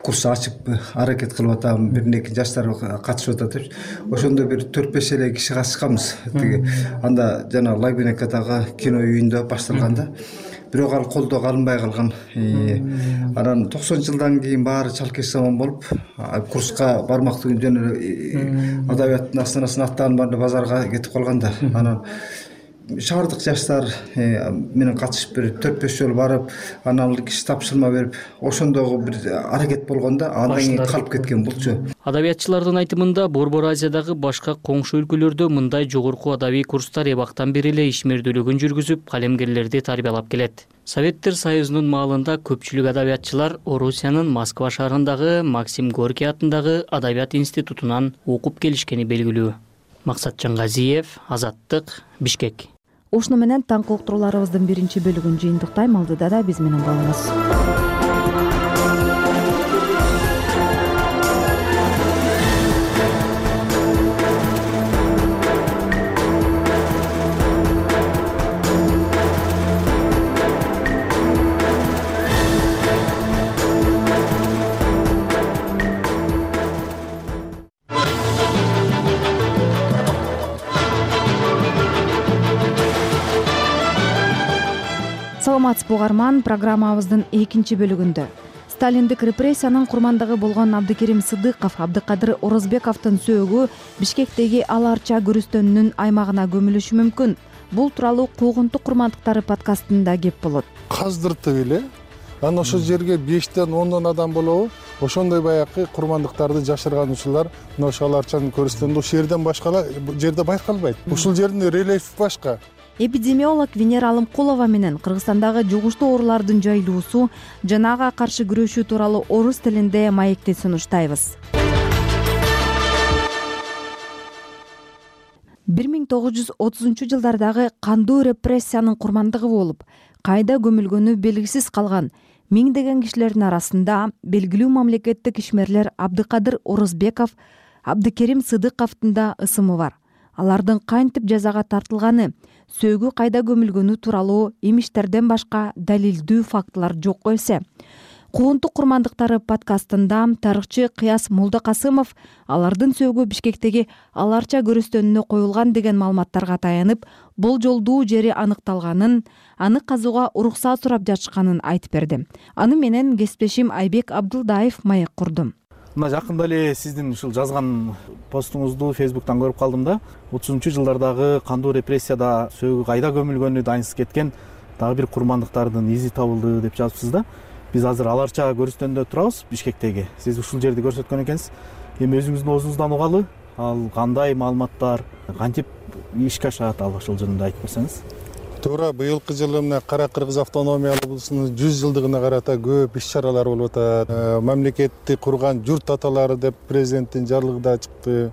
курс ачып аракет кылып атам, бир-эки жаштар катышып атат деп. Ошондо бир 4-5 эле киши катышканбыз. Тиги анда жана Лагунекадагы кино үйүндө башталганда бирок ал колдоо алынбай калган. Анан 90-жылдан кийин баары чалкеш заман болуп, курска бармактуу жана адабияттын астанасын аттаган баары базарга кетип калганда, анан шаардык жаштар менен катышып бир 4-5 жолу барып, анан ал киши тапшырма берип, ошондогу бир аракет болгондо андан кийин калып кеткен булчу. Адабиятчылардын айтымында Борбор Азиядагы башка коңшу өлкөлөрдө мындай жогорку адабий курстар эбактан бери эле ишмердүүлүгүн жүргүзүп, калемгерлерди тарбиялап келет. Советтер Союзунун маалында көпчүлүк адабиятчылар Орусиянын Москва шаарындагы Максим Горький атындагы Адабият институтунан окуп келишкени белгилүү. Максат Жангазиев, Азаттык, Бишкек. Ушуну менен таңкы уктурууларыбыздын биринчи бөлүгүн жыйынтыктайм. Алдыда да биз менен болуңуз. Саламатсызбы угарман, программабыздын экинчи бөлүгүндө Сталиндик репрессиянын курмандыгы болгон Абдыкерим Сыдыков Абдыкадыр Орозбековдун сөөгү Бишкектеги Ала Арча көрүстөнүнүн аймагына көмүлүшү мүмкүн. Бул тууралуу Куугунтук курмандыктары подкастында кеп болот. Каздыртып эле анан ошол жерге 5ден 10дон адам болобу? Ошондой баягы курмандыктарды жашыргануучулар мына ошол Ала Арчанын көрүстөнүндө ушул жерден башка жерде байкалбайт. Ушул жердин рельефи башка. Эпидемиолог Венера Алымкулова менен Кыргызстандагы жугуштуу оорулардын жайылуусу жана ага каршы күрөшүү тууралуу орус тилинде маекти сунуштайбыз. 1930-жылдардагы кандуу репрессиянын курмандыгы болуп, кайда көмүлгөнү белгисиз калган миңдеген кишилердин арасында белгилүү мамлекеттик ишмерлер Абдыкадыр Орозбеков, Абдыкерим Сыдыковдун да ысымы бар. Алардын кантип жазага тартылганы, сөөгү кайда көмүлгөнү тууралуу имиштерден башка далилдүү фактылар жок эсе. Куунтук курмандыктары подкастында тарыхчы Кыяс Молдокасымов алардын сөөгү Бишкектеги аларча көрүстөнүнө коюлган деген маалыматтарга таянып, болжолдуу жери аныкталганын, аны казууга уруксат сурап жатышканын айтып берди. Аны менен кесиптешим Айбек Абдылдаев маек курду. Мына жакында эле сиздин ушул жазган постуңузду Facebook'тан көрүп калдым да. 30-жылдардагы кандуу репрессияда сөөгү кайда көмүлгөнү дайынсыз кеткен дагы бир курмандыктардын изи табылды деп жазыпсыз да. Биз азыр аларча көрүстөндө турабыз Бишкектеги. Сиз ушул жерди көрсөткөн экенсиз. Эми өзүңүздүн оозуңуздан угалы, ал кандай маалыматтар, кантип ишке ашат, ал ошол жөнүндө айтып берсеңиз. Туура, быйылкы жылы мына Кара Кыргыз автономиялык облусунун 100 жылдыгына карата көп иш-чаралар болуп атат. Мамлекетти курган журт аталары деп президенттин жарлыгы да чыкты.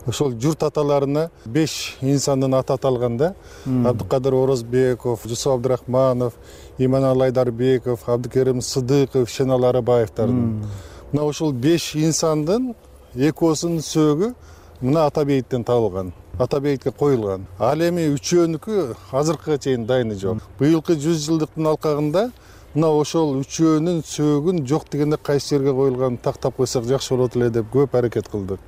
Ошол журт аталарына 5 инсандын аты аталган да. Абдыкадыр Орозбеков, Жусуп Абдырахманов, Иманалы Айдарбеков, Абдыкерим Сыдыков, Шенал Арабаевдардын. Мына ошол 5 инсандын экөөсүнүн сөөгү мына Ата бейиттен табылган. Ата бейитке коюлган. Ал эми үчөөнүкү азыркыга чейин дайыны жок. Быйылкы 100 жылдыктын алкагында мына ошол үчөөнүн сөөгүн жок дегенде кайсы жерге коюлганын тактап койсок жакшы болот эле деп көп аракет кылдык.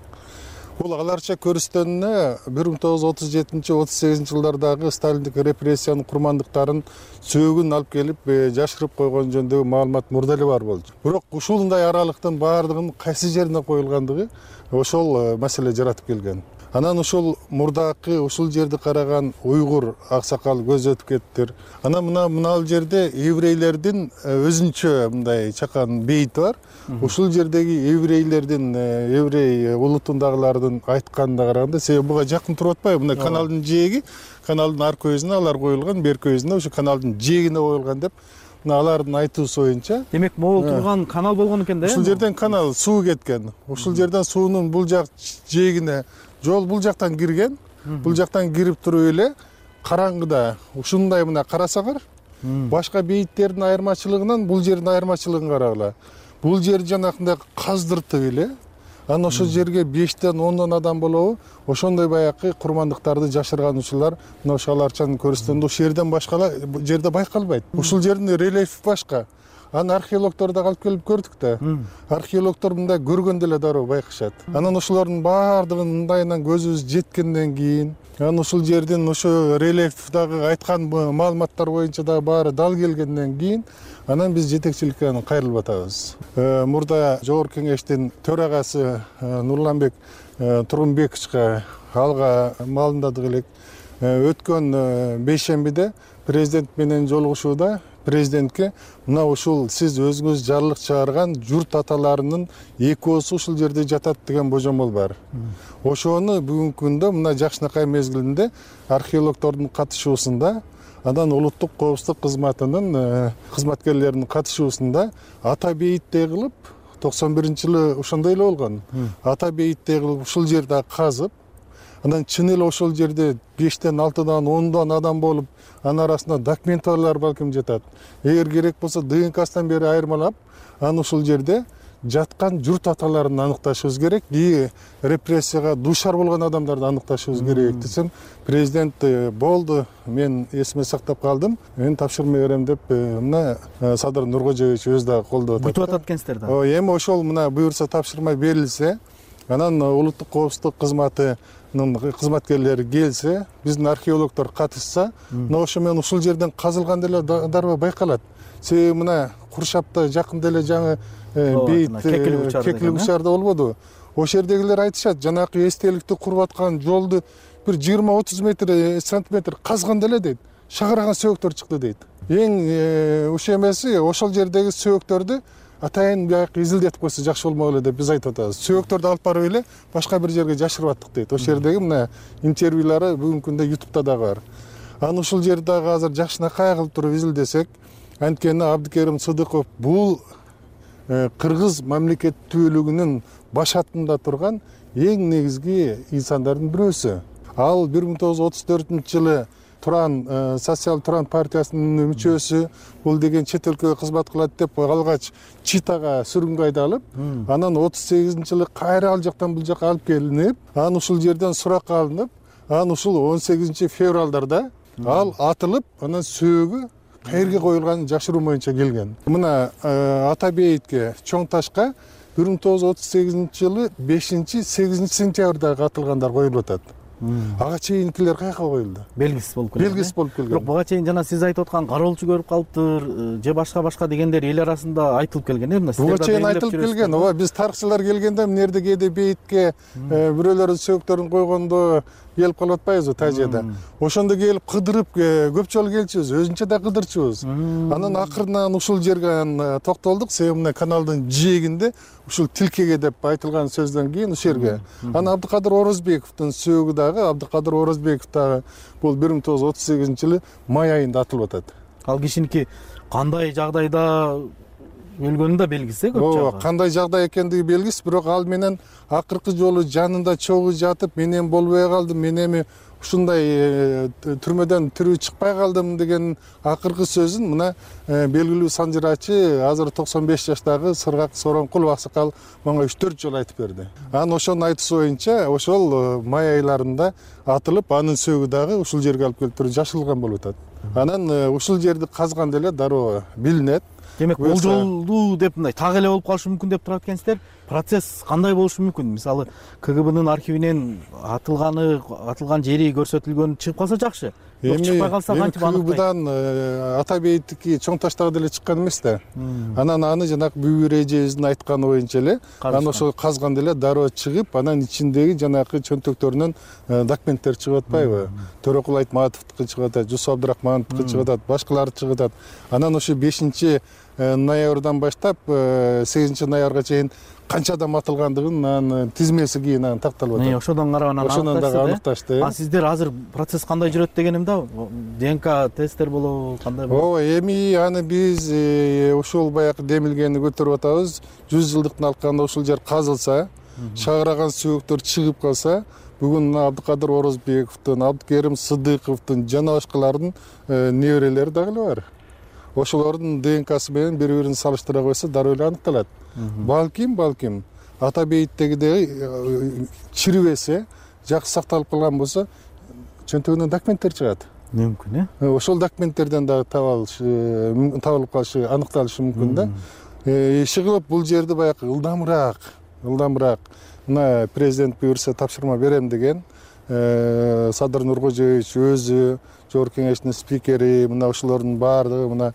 Бул аларча көрүстөнүнө 1937-38 жылдардагы сталиндик репрессиянын курмандыктарын сөөгүн алып келип жашырып койгон жөнүндөгү маалымат мурда эле бар болчу. Бирок ушундай аралыктын баардыгынын кайсы жерине коюлгандыгы ошол маселе жаратып келген. Анан ушул мурдакы ушул жерди караган уйгур аксакал көз өтүп кеттир. Анан мына жерде еврейлердин өзүнчө мындай чакан бейити бар. Ушул жердеги еврейлердин, еврей улутундагылардын айтканына караганда, себеби буга жакын туруп атпайбы? Мына каналдын жээги, каналдын ар көзүнө алар коюлган, бер көзүнө ушу каналдын жээгине коюлган деп мына алардын айтуусу боюнча. Демек, могул турган канал болгон экен да? Ушул жерден канал суу кеткен. Ушул жерден суунун бул жак жээгине жол бул жактан кирген. Бул жактан кирип туруп эле караңгыда ушундай мына карасаңар, башка бейиттердин айырмачылыгынан бул жердин айырмачылыгын карагыла. Бул жер жанакындай каздыртып эле, анан ошол жерге 5-тен 10 адам болобу, ошондой баягы курмандыктарды жашырган учурлар мына ошол аларчанын көрүстөнүндө ушул жерден башка жерде байкалбайт. Ушул жердин рельефи башка. Аны археологдор да алып келип көрдүк да. Археологдор мындай көргөндө эле дароо байкашат. Анан ошолордун баардыгын мындайынан көзүбүз жеткенден кийин, анан ушул жердин ошо рельефдагы айткан маалыматтар боюнча да баары дал келгенден кийин, анан биз жетекчиликке кайрылып атабыз. Мурда Жогорку Кеңештин төрагасы Нурланбек Тургунбековичке алга маалымдадык элек. Өткөн бейшембиде президент менен жолугушууда президентке мына ушул сиз өзүңүз жарлык чыгарган журт аталарынын экөөсү ушул жерде жатат деген божомол бар. Ошону бүгүнкү күндө мына жакшынакай мезгилинде археологдордун катышуусунда, анан улуттук коопсуздук кызматынын кызматкерлеринин катышуусунда Ата бейиттей кылып 91-жылы ошондой эле болгон. Ата бейиттей кылып ушул жерде казып, анан чын эле ошол жерде 5-тен 6-дан 10-дан адам болуп, анын арасында документтар балким жатат. Эгер керек болсо ДНК-сынан бери айырмалап, анан ушул жерде жаткан журт аталарын аныкташыбыз керек. И репрессияга дуушар болгон адамдарды аныкташыбыз керек десем, президент болду, мен эсиме сактап калдым. Мен тапшырма берем деп мына Садыр Нуркожоевич өзү дагы колдоп атат. Күтүп атат экенсиздер да. Эми ошол мына буюрса тапшырма берилсе, анан улуттук коопсуздук кызматынын кызматкерлери келсе, биздин археологдор катышса, мына ошо менен ушул жерден казылган деле дароо байкалат. Себеби мына Куршапта жакында эле жаңы бейит кекилик учарда болбодубу? Ошол жердегилер айтышат, жанакы эстеликти куруп аткан жолду бир 20-30 метр, сантиметр казган деле дейт. Шагараган сөөктөр чыкты дейт. Эң уш эмеси ошол жердеги сөөктөрдү атайын баягы изилдетип койсо жакшы болмок эле деп биз айтып атабыз. Сөөктөрдү алып барып эле башка бир жерге жашырып аттык дейт. Ошол жердеги мына интервьюлары бүгүнкү күндө YouTube'да дагы бар. Анан ушул жерди дагы азыр жакшынакай кылып туруп изилдесек, анткени Абдыкерим Сыдыков бул кыргыз мамлекеттүүлүгүнүн баш атында турган эң негизги инсандардын бирөөсү. Ал 1934-жылы Социал Туран партиясынын мүчөсү, бул деген чет өлкөгө кызмат кылат деп алгач Читага сүргүнгө айдалып, анан 38-жылы кайра ал жактан бул жакка алып келинип, анан ушул жерден суракка алынып, анан ушул 18-февралдарда ал атылып, анан сөөгү каерге коюлганын жашыруу боюнча келген. Мына ата бейитке чоң ташка 1938 жылы 5-8 сентябрда катылгандар коюлуп атат. Ага чейинкилер каяка коюлду? Белгисиз болуп келген. Белгисиз болуп келген. Бирок буга чейин жана сиз айтып аткан кароолчу көрүп калыптыр же башка дегендер эл арасында айтылып келген э? Буга чейин айтылып келген. Ооба, биз тарыхчылар келгенде мынерде кээде бейитке бирөөлөрдүн сөктөрүн койгондо келип калып атпайбызбы тажияда. Ошондо келип кыдырып көп жолу келчүбүз, өзүнчө да кыдырчубуз. Анан акырынан ушул жерге токтолдук, себеби мына каналдын жээгинде ушул тилкеге деп айтылган сөздөн кийин ушул жерге. Анан Абдыкадыр Орозбековдун сөөгү дагы, Абдыкадыр Орозбеков дагы бул 1938 жылы май айында атылып атат. Ал кишиники кандай жагдайда өлгөнү да белгисиз көп жагы. Ооба, кандай жагдай экендиги белгисиз, бирок ал менен акыркы жолу жанында чогуу жатып, мен эми болбой калдым, мен эми ушундай түрмөдөн тирүү чыкпай калдым деген акыркы сөзүн мына белгилүү санжырачы азыр 95 жаштагы Сыргак Сооронкулов аксакал мага 3-4 жолу айтып берди. Анан ошонун айтуусу боюнча ошол май айларында атылып, анын сөөгү дагы ушул жерге алып келип туруп жашылган болуп атат. Анан ушул жерди казганда эле дароо билинет. Демек болжолдуу деп мындай так эле болуп калышы мүмкүн деп турат экенсиздер. Процесс кандай болушу мүмкүн? Мисалы КГБнын архивинен атылган жери көрсөтүлгөнү чыгып калса жакшы. Чыкпай калса кантип аныктайт? КГБдан ата бейиттики чоң таштагы деле чыккан эмес да. Анан аны жанагы Бүбүр эжебиздин айтканы боюнча эле анан ошо казганда эле дароо чыгып, анан ичиндеги жанагы чөнтөктөрүнөн документтер чыгып атпайбы? Төрөкул Айтматовдуку чыгып атат, Жусуп Абдрахмановдуку чыгып атат, башкалары чыгып атат. Анан ошо 5 ноябрдан баштап 8 ноябрга чейин канча адам атылгандыгын анын тизмеси кийин анан такталып атат. Ошодон карап анан аныкташты. А сиздер азыр процесс кандай жүрөт дегеним да, ДНК тесттер болобу, кандай болот? Ооба, эми аны биз ушул баягы демилгени көтөрүп атабыз. 100 жылдыктын алкагында ушул жер казылса, шагыраган сөөктөр чыгып калса, бүгүн Абдыкадыр Орозбековдун, Абдыкерим Сыдыковдун жана башкалардын неберелери дагы эле бар. Ошолордун ДНКсы менен бири-бирин салыштыра койсо дароо эле аныкталат. Балким ата бейиттегидей чирибесе, жакшы сакталып калган болсо, чөнтөгүнөн документтер чыгат. Мүмкүн, э? Ошол документтерден дагы табылып калышы, аныкталышы мүмкүн да. Иши кылып бул жерди баягы ылдамыраак, мына президент буйрса тапшырма берем деген, Садыр Нуркожоевич өзү, Жогорку кеңештин спикери, мына ошолордун баардыгы мына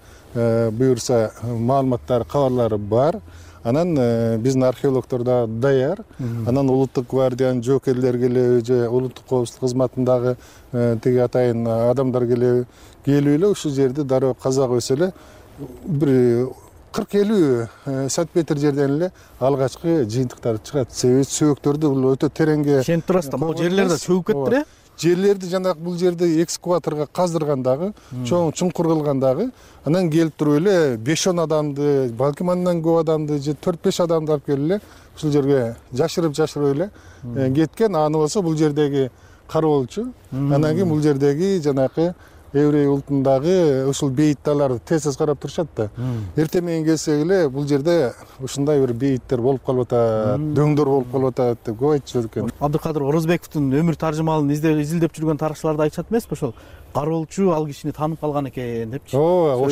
буйрса маалыматтары, кабарлары бар. Анан биздин археологдор да даяр. Анан Улуттук гвардиянын жоокерлери келеби же улуттук коопсуздук кызматындагы тиги атайын адамдар келип эле ушул жерди дароо каза койсо эле бир 40-50 сантиметр жерден эле алгачкы жыйынтыктар чыгат. Себеби сөөктөрдү бул өтө тереңге ишенип турасыздар. Могу жерлер да чөгүп кеттир, э? Жерлерди жанагы бул жерди экскаваторго каздыргандагы, чоң чуңкур кылгандагы, анан келип туруп эле 5-10 адамды, балким андан көп адамды же 4-5 адамды алып келип эле ушул жерге жашырып эле кеткен. Аны болсо бул жердеги кароолчу, анан кийин бул жердеги жанагы еврей улутундагы ушул бейитталарды тез карап турушат да. Эртең менен келсек эле бул жерде ушундай бир бейиттер болуп калып атат, дөңдөр болуп калып атат деп көп айтышат экен. Абдыкадыр Орозбековдун өмүр таржымалын изилдеп жүргөн тарыхчылар да айтышат эмеспи? Ошол кароолчу ал кишини таанып калган экен депчи. Ооба,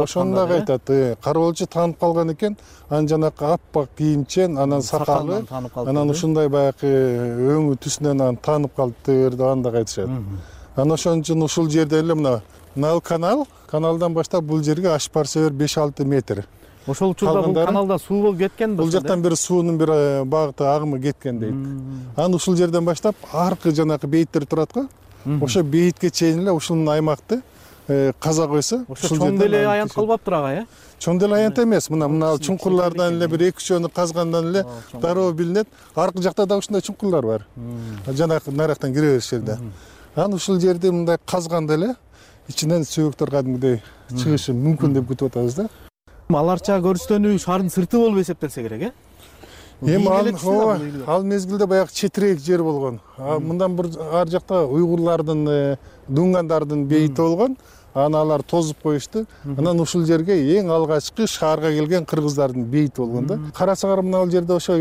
ошону дагы айтат. Кароолчу таанып калган экен, анан жанагы аппак кийимчен, анан сакалы, анан ушундай баягы өңү түсүнөн анан таанып калыптыр деп аны дагы айтышат. Анан ошон үчүн ушул жерде эле мына каналдан баштап бул жерге ашып барса 5-6 метр. Ошол учурда бул каналда суу болуп кеткен. Бул жактан бир суунун бир багыты агымы кеткен дейт. Анан ушул жерден баштап аркы жанагы бейиттер турат го. Ошо бейитке чейин эле ушул аймакты каза койсо, ушул чоң деле аянт калбаптыр ага, э? Чоң деле аянт эмес. Мына чуңкурлардан эле бир 2-3 казгандан эле дароо билинет. Аркы жакта да ушундай чуңкурлар бар. Жанагы нарактан кире бериш жерде. Анан ушул жерди мындай казганда эле ичинен сөөктөр кадимгидей чыгышы мүмкүн деп күтүп атабыз да. Аларча көрүстөнүү шаардын сырты болуп эсептелсе керек, э? Эми ал мезгилде баягы четирээк жер болгон. Мындан бир ар жакта уйгурлардын, дунгандардын бейити болгон. Аны алар тозуп коюшту. Анан ушул жерге эң алгачкы шаарга келген кыргыздардын бейити болгон да. Карасаңар мына ал жерде ошо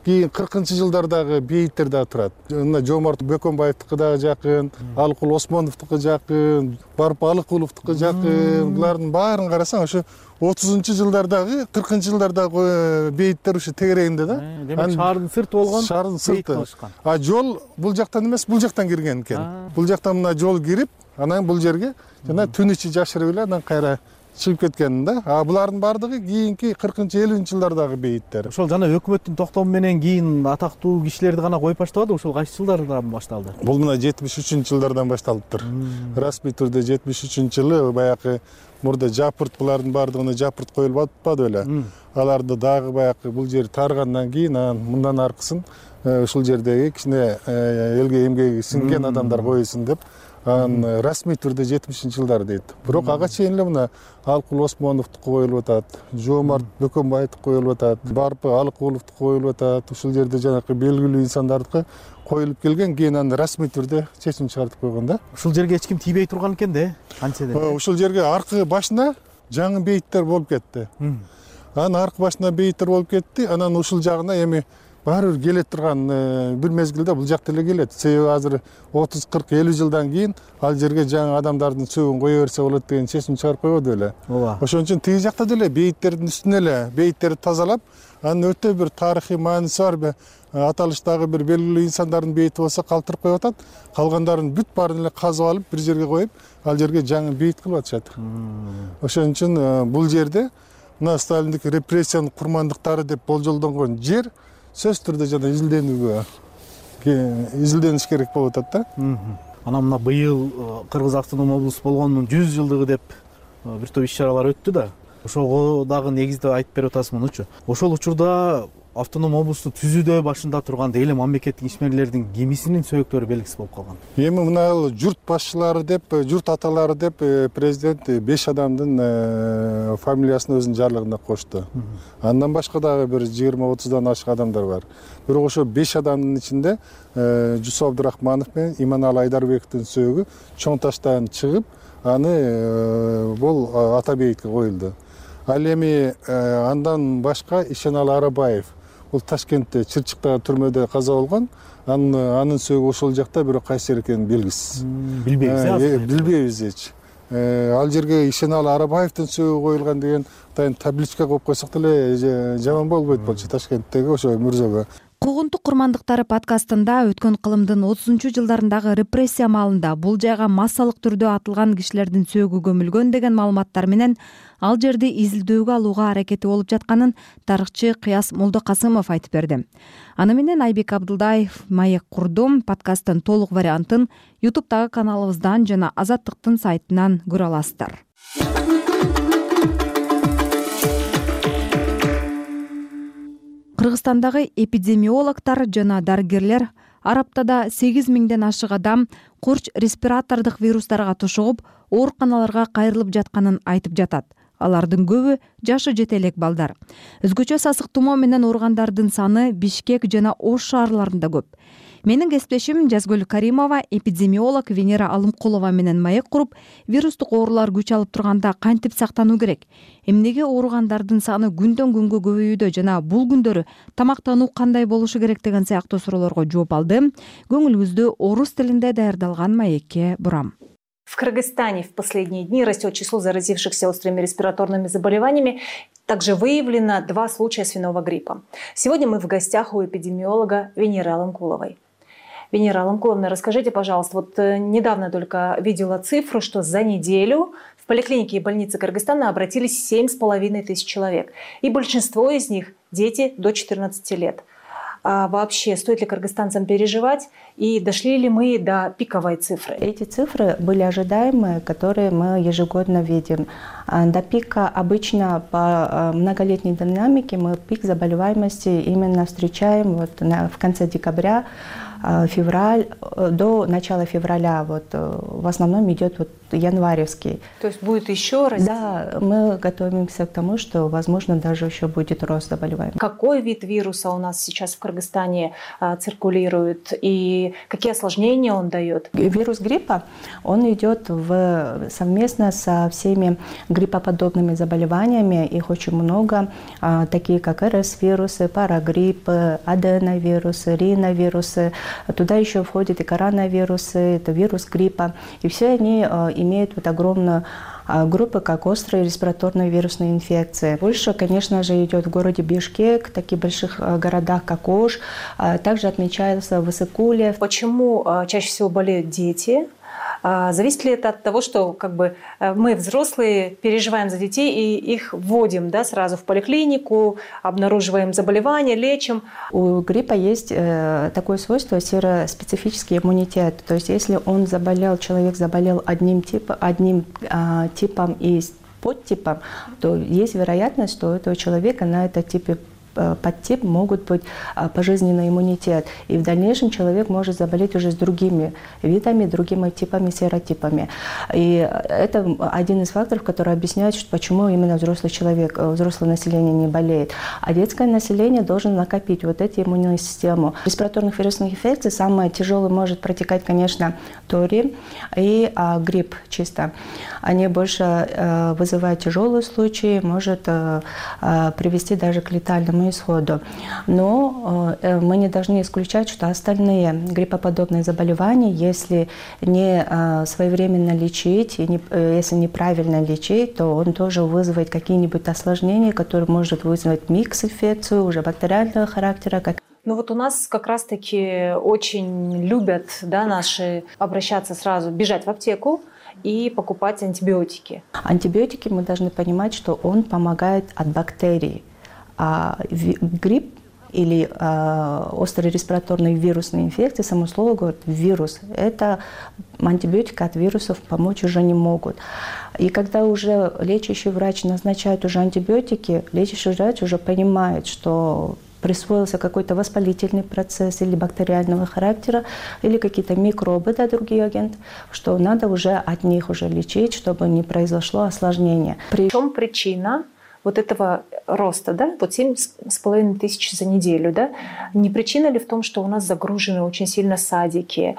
кийин 40-жылдардагы бейиттер дагы турат. Мына Жомарт Бөкөнбаевдики дагы жакын, Алыкул Осмоновдуку жакын, Барып Алыкуловдуку жакын. Булардын баарын карасаң ошо 30-жылдардагы, 40-жылдардагы бейиттер ушу тегерегинде да. Демек шаардын сырты болгон. Шаардын сырты. А жол бул жактан эмес, бул жактан кирген экен. Бул жактан мына жол кирип, анан бул жерге жана түн ичи жашырып эле анан кайра чыгып кеткен да. А булардын баардыгы кийинки 40-50-жылдардагы бейиттер. Ошол жана өкмөттүн токтому менен кийин атактуу кишилерди гана коюп баштабады, ошол кайсы жылдардан башталды? Бул мына 73-жылдардан башталыптыр. Расмий түрдө 73-жылы баягы мурда жапырт, булардын баардыгына жапырт коюлуп атпады беле. Аларды дагы баягы бул жер таргандан кийин анан мындан аркысын ушул жердеги кичине элге эмгеги сиңген адамдар койсун деп анан расмий түрдө 70-жылдар дейт. Бирок ага чейин эле мына Алыкул Осмоновдуку коюлуп атат, Жомарт Бөкөнбаевдики коюлуп атат, Барып Алыкуловдуку коюлуп атат. Ушул жерде жанакы белгилүү инсандардыкы коюлуп келген, кийин аны расмий түрдө чечим чыгартып койгон да. Ушул жерге эч ким тийбей турган экен да, канча деп. Ушул жерге аркы башына жаңы бейиттер болуп кетти. Анан аркы башына бейиттер болуп кетти, анан ушул жагына эми баары бир келе турган бир мезгилде бул жакта эле келет. Себеби азыр 30, 40, 50 жылдан кийин ал жерге жаңы адамдардын сөөгүн кое берсе болот деген чечим чыгарып койбоду беле. Ошон үчүн тиги жакта деле бейиттердин үстүнө эле бейиттерди тазалап, анын өтө бир тарыхый мааниси бар, аталыштагы бир белгилүү инсандардын бейити болсо калтырып коюп атат. Калгандарын бүт баарын эле казып алып бир жерге коюп, ал жерге жаңы бейит кылып атышат. Ошон үчүн бул жерде мына Сталиндик репрессиянын курмандыктары деп болжолдонгон жер сөз түрдө жана изилдениш керек болуп атат да. Анан мына быйыл Кыргыз автоном облусу болгонунун 100 жылдыгы деп бир топ иш-чаралар өттү да. Ошого дагы негизде айтып берип атасызмынчу. Ошол учурда автоном облусту түзүүдө башында турган дейли мамлекеттик ишмерлердин кимисинин сөөгүттөрү белгисиз болуп калган. Эми мына журт башчылары деп, журт аталары деп президент 5 адамдын фамилиясын өзүнүн жарлыгына кошту. Андан башка дагы бир 20-30дан ашык адамдар бар. Бирок ошо 5 адамдын ичинде Жусуп Абдырахманов менен Иманалы Айдарбековдун сөөгү чоң таштан чыгып, аны бул ата бейитке коюлду. Ал эми андан башка Ишеналы Арабаев, бул Ташкентте Чырчыктагы түрмөдө каза болгон. Анын сөөгү ошол жакта, бирок кайсы жер экени белгисиз. Билбейбиз эч. Ал жерге Ишеналы Арабаевдин сөөгү коюлган деген табличка коюп койсок деле жаман болбойт болчу Ташкенттеги ошо мырзага. Куугунтук курмандыктары подкастында өткөн кылымдын 30-жылдарындагы репрессия маалында бул жайга массалык түрдө атылган кишилердин сөөгү көмүлгөн деген маалыматтар менен ал жерди изилдөөгө алууга аракети болуп жатканын тарыхчы Кыяс Молдокасымов айтып берди. Аны менен Айбек Абдылдаев маек курдум. Подкасттын толук вариантын YouTube'дагы каналыбыздан жана Азаттыктын сайтынан көрө аласыздар. Кыргызстандагы эпидемиологдор жана дарыгерлер ар аптада 8 миңден ашык адам курч респиратордук вирустарга тушугуп, ооруканаларга кайрылып жатканын айтып жатат. Алардын көбү жашы жете элек балдар. Өзгөчө сасык тумоо менен ооругандардын саны Бишкек жана Ош шаарларында көп. Менин кесиптешим Жазгүл Каримова эпидемиолог Венера Алымкулова менен маек куруп, вирустук оорулар күч алып турганда кантип сактануу керек? Эмнеге ооругандардын саны күндөн күнгө көбөйүүдө жана бул күндөрү тамактануу кандай болушу керек деген сыяктуу суроолорго жооп алды. Көңүлүңүздү орус тилинде даярдалган маекке бурам. В Кыргызстане в последние дни растет число заразившихся острыми респираторными заболеваниями. Также выявлено 2 случая свиного гриппа. Сегодня мы в гостях у эпидемиолога Венеры Алымкуловой. Венера Алымкуловна, расскажите, пожалуйста, вот недавно только видела цифру, что за неделю в поликлинике и больнице Кыргызстана обратились 7,5 тысяч человек. И большинство из них дети до 14 лет. А вообще, стоит ли кыргызстанцам переживать и дошли ли мы до пиковой цифры? Эти цифры были ожидаемые, которые мы ежегодно видим. До пика обычно по многолетней динамике мы пик заболеваемости именно встречаем в конце декабря, февраль, до начала февраля, вот в основном идет вот январевский. То есть будет еще раз? Да, мы готовимся к тому, что, возможно, даже еще будет рост заболеваний. Какой вид вируса у нас сейчас в Кыргызстане циркулирует и какие осложнения он дает? Вирус гриппа, он идет совместно со всеми гриппоподобными заболеваниями. Их очень много, такие как РС-вирусы, парагриппы, аденовирусы, риновирусы. Туда еще входят и коронавирусы, это вирус гриппа. И все они имеют вот огромную группы, как острые респираторные вирусные инфекции. Больше, конечно же, идет в городе Бишкек, таких больших городах, как Ош. Также отмечается в Исыкуле. Почему чаще всего болеют дети? Зависит ли это от того, что мы, взрослые, переживаем за детей и их вводим сразу в поликлинику, обнаруживаем заболевания, лечим? У гриппа есть такое свойство — сероспецифический иммунитет. То есть если человек заболел одним типом и подтипом, то есть вероятность, что у этого человека на этом типе подтип могут быть пожизненный иммунитет. И в дальнейшем человек может заболеть уже с другими видами, другими типами, серотипами. И это один из факторов, который объясняет, почему именно взрослое население не болеет. А детское население должно накопить вот эту иммунную систему. Респираторных вирусных инфекций самое тяжелое может протекать, конечно, тори и грипп чисто. Они больше вызывают тяжелые случаи, может привести даже к летальному исходу. Но мы не должны исключать, что остальные гриппоподобные заболевания, если не своевременно лечить, и если неправильно лечить, то он тоже вызывает какие-нибудь осложнения, которые может вызвать микс-инфекцию уже бактериального характера. Ну вот у нас как раз-таки очень любят наши обращаться сразу, бежать в аптеку и покупать антибиотики. Антибиотики, мы должны понимать, что он помогает от бактерий. А грипп или острые респираторные вирусные инфекции, само слово говорит вирус, это антибиотики от вирусов помочь уже не могут. И когда уже лечащий врач назначает уже антибиотики, лечащий врач уже понимает, что присвоился какой-то воспалительный процесс или бактериального характера, или какие-то микробы, другие агенты, что надо уже от них уже лечить, чтобы не произошло осложнение. В чем причина вот этого роста, вот 7,5 тысяч за неделю, Не причина ли в том, что у нас загружены очень сильно садики,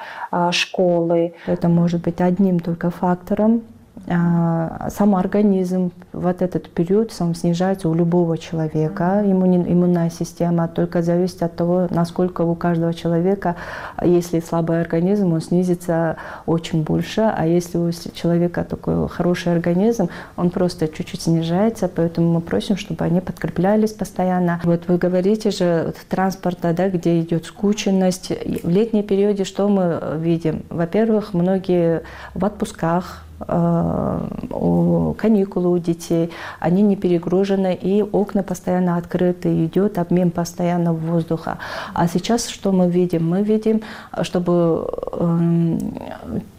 школы? Это может быть одним только фактором. Сам организм в этот период сам снижается у любого человека. Иммунная система только зависит от того, насколько у каждого человека, если слабый организм, он снизится очень больше, а если у человека такой хороший организм, он просто чуть-чуть снижается, поэтому мы просим, чтобы они подкреплялись постоянно. Вот вы говорите же транспорта, где идет скученность. В летнем периоде что мы видим? Во-первых, многие в отпусках, каникулы у детей, они не перегружены, и окна постоянно открыты, идет обмен постоянно воздуха. А сейчас что мы видим? Мы видим, чтобы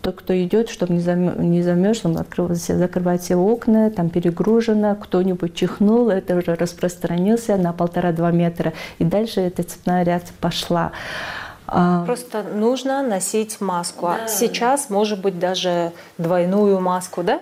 тот, кто идет, чтобы не замерз, он закрывает все окна, там перегружено, кто-нибудь чихнул, это уже распространился на 1,5-2 метра, и дальше эта цепная реакция пошла. Просто нужно носить маску. Да. Сейчас, может быть, даже двойную маску, да?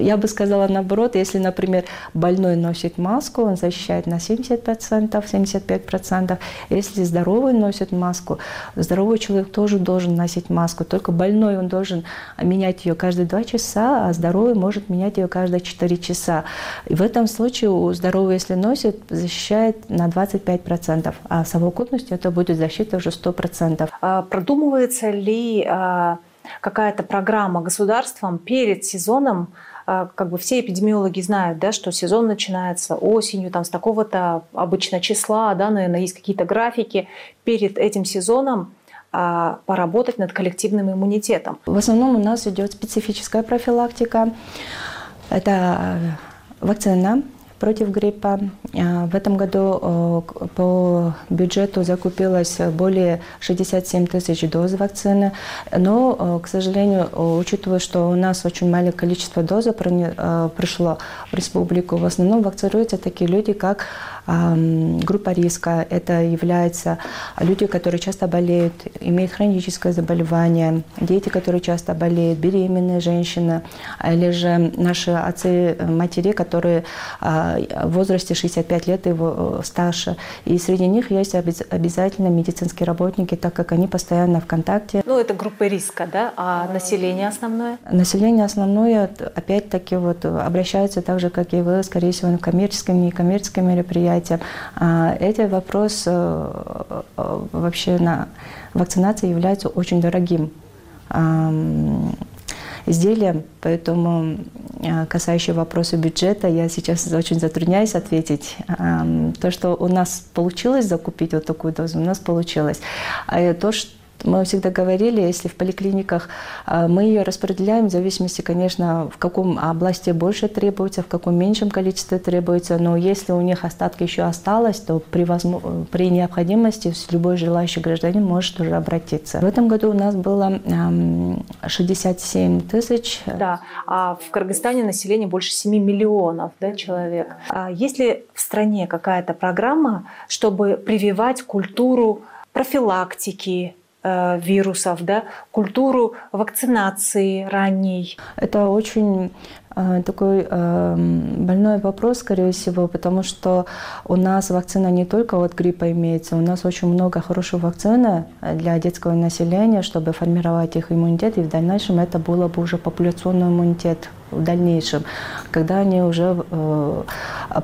Я бы сказала наоборот, если, например, больной носит маску, он защищает на 70%, 75%. Если здоровый носит маску, здоровый человек тоже должен носить маску. Только больной, он должен менять ее каждые 2 часа, а здоровый может менять ее каждые 4 часа. И в этом случае у здорового, если носит, защищает на 25%, а в совокупности это будет защита уже 100%. Продумывается ли какая-то программа государством перед сезоном? Все эпидемиологи знают, что сезон начинается осенью, с такого-то обычно числа, наверное, есть какие-то графики. Перед этим сезоном поработать над коллективным иммунитетом. В основном у нас идет специфическая профилактика. Это вакцина против гриппа. В этом году по бюджету закупилось более 67 тысяч доз вакцины. Но, к сожалению, учитывая, что у нас очень маленькое количество доз пришло в республику, в основном вакцинируются такие люди, как группа риска — это являются люди, которые часто болеют, имеют хроническое заболевание, дети, которые часто болеют, беременные женщины, или же наши отцы, матери, которые в возрасте 65 лет и старше. И среди них есть обязательно медицинские работники, так как они постоянно в контакте. Ну, это группа риска, да? А население основное? Население основное, опять-таки, обращаются так же, как и вы, скорее всего, коммерческим и некоммерческим мероприятиям. Этот вопрос вообще на вакцинации является очень дорогим изделием, поэтому касающие вопросы бюджета я сейчас очень затрудняюсь ответить. То, что у нас получилось закупить вот такую дозу, у нас получилось. А то, что мы всегда говорили, если в поликлиниках мы ее распределяем в зависимости, конечно, в каком области больше требуется, в каком меньшем количестве требуется, но если у них остатки еще осталось, то при необходимости любой желающий гражданин может уже обратиться. В этом году у нас было 67 тысяч. Да, а в Кыргызстане население больше 7 миллионов, да, человек. А есть ли в стране какая-то программа, чтобы прививать культуру профилактики вирусов, да, культуру вакцинации ранней? Это очень такой больной вопрос, скорее всего, потому что у нас вакцина не только от гриппа имеется, у нас очень много хорошей вакцины для детского населения, чтобы формировать их иммунитет, и в дальнейшем это было бы уже популяционный иммунитет в дальнейшем, когда они уже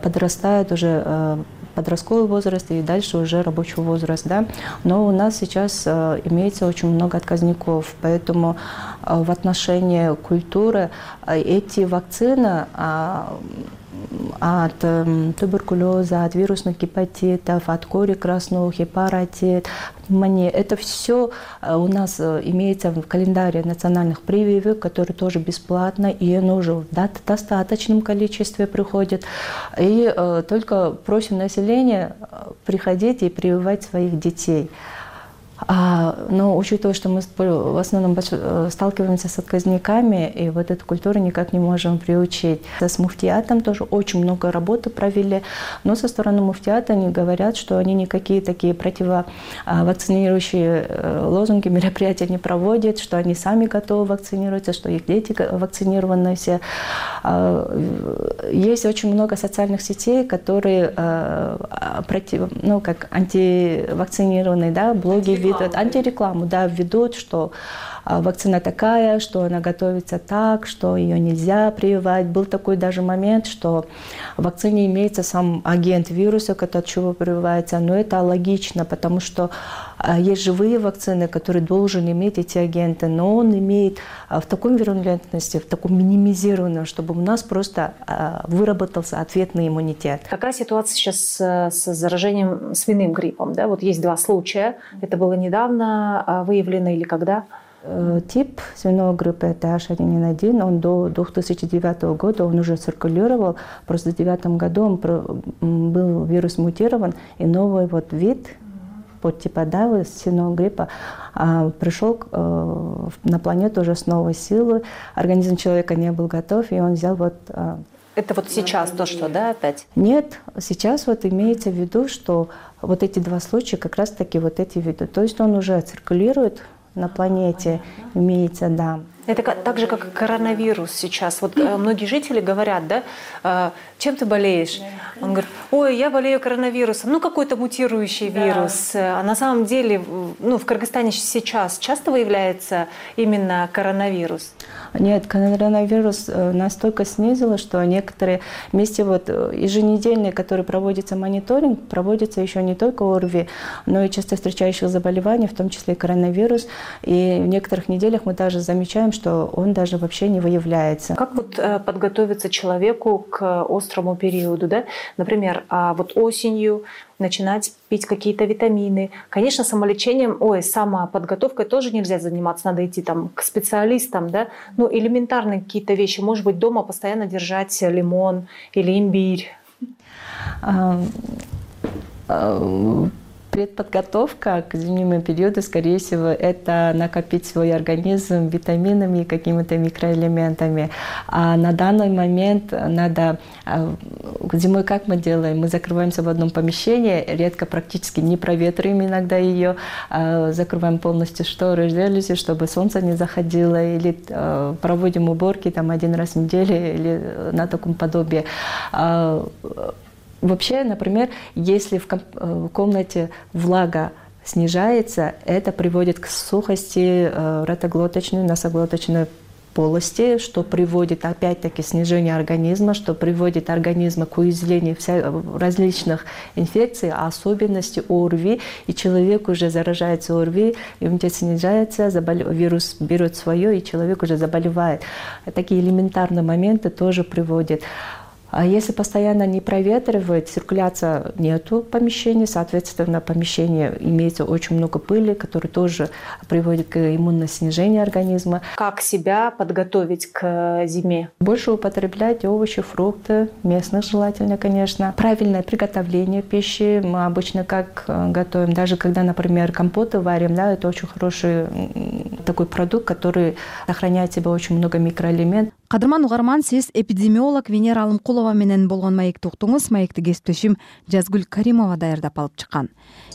подрастают, уже подростковый возраст и дальше уже рабочий возраст, да. Но у нас сейчас имеется очень много отказников, поэтому в отношении культуры эти вакцины от туберкулеза, от вирусных гепатитов, от кори красного, гепаратит, это все у нас имеется в календаре национальных прививок, которые тоже бесплатно, и оно уже в достаточном количестве приходит. И только просим население приходить и прививать своих детей. Но учитывая, что мы в основном сталкиваемся с отказниками, и вот эту культуру никак не можем приучить. С муфтиатом тоже очень много работы провели, но со стороны муфтиата они говорят, что они никакие такие противовакцинирующие лозунги, мероприятия не проводят, что они сами готовы вакцинироваться, что их дети вакцинированы все. Есть очень много социальных сетей, которые как антивакцинированные, да, блоги антирекламу, да, ведут, что вакцина такая, что она готовится так, что ее нельзя прививать. Был такой даже момент, что в вакцине имеется сам агент вируса, от чего прививается, но это логично, потому что есть живые вакцины, которые должен иметь эти агенты, но он имеет в такой вирулентности, в таком минимизированном, чтобы у нас просто выработался ответный иммунитет. Какая ситуация сейчас с заражением свиным гриппом? Да? Вот есть 2 случая. Это было недавно выявлено или когда? Тип свиного гриппа это H1N1, он до 2009 года он уже циркулировал, просто в 2009 году был вирус мутирован, и новый вид подтипа свиного гриппа пришел на планету уже с новой силой, организм человека не был готов, и он взял Это сейчас то, что, да, опять? Нет, сейчас имеется в виду, что эти 2 случая как раз-таки эти виды, то есть он уже циркулирует на планете, имеется, да. Это так же, как и коронавирус сейчас. Многие жители говорят, да, чем ты болеешь? Он говорит, ой, я болею коронавирусом. Какой-то мутирующий вирус. А на самом деле, в Кыргызстане сейчас часто выявляется именно коронавирус? Нет, коронавирус настолько снизило, что некоторые вместе еженедельные, которые проводится мониторинг, проводится еще не только ОРВИ, но и часто встречающих заболеваний, в том числе и коронавирус. И в некоторых неделях мы даже замечаем, что он даже вообще не выявляется. Как подготовиться человеку к острому периоду, да? Например, осенью начинать пить какие-то витамины. Конечно, самолечением, самоподготовкой тоже нельзя заниматься, надо идти к специалистам, да? Элементарные какие-то вещи, может быть, дома постоянно держать лимон или имбирь. Предподготовка к зимнему периоду, скорее всего, это накопить свой организм витаминами, какими-то микроэлементами. А на данный момент надо... Зимой как мы делаем? Мы закрываемся в одном помещении, редко практически не проветриваем иногда ее, закрываем полностью шторы, жалюзи, чтобы солнце не заходило, или проводим уборки там 1 раз в неделю или на таком подобии. Вообще, например, если в комнате влага снижается, это приводит к сухости ротоглоточной, носоглоточной полости, что приводит опять-таки к снижению организма, что приводит организм к уязвлению различных инфекций, особенности ОРВИ, и человек уже заражается ОРВИ, иммунитет снижается, вирус берет свое, и человек уже заболевает. Такие элементарные моменты тоже приводят. А если постоянно не проветривать, циркуляция нету помещения, соответственно, в помещении имеется очень много пыли, которая тоже приводит к иммунному снижению организма. Как себя подготовить к зиме? Больше употреблять овощи, фрукты, местных желательно, конечно. Правильное приготовление пищи. Мы обычно как готовим, даже когда, например, компоты варим, да, это очень хороший такой продукт, который сохраняет в себе очень много микроэлементов. Кадырман угарман, сиз эпидемиолог Венера Алымкулова менен болгон маекти уктуңуз. Маекти кесиптешим Жазгүл Каримова даярдап алып чыккан.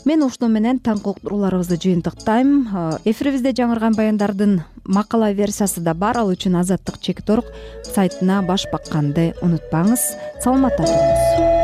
Мен ушуну менен таңкы уктурууларыбызды жыйынтыктайм. Эфирибизде жаңырган баяндардын макала версиясы да бар. Ал үчүн Азаттык Чекит Орг сайтына баш бакканды унутпаңыз. Саламатта туруңуз.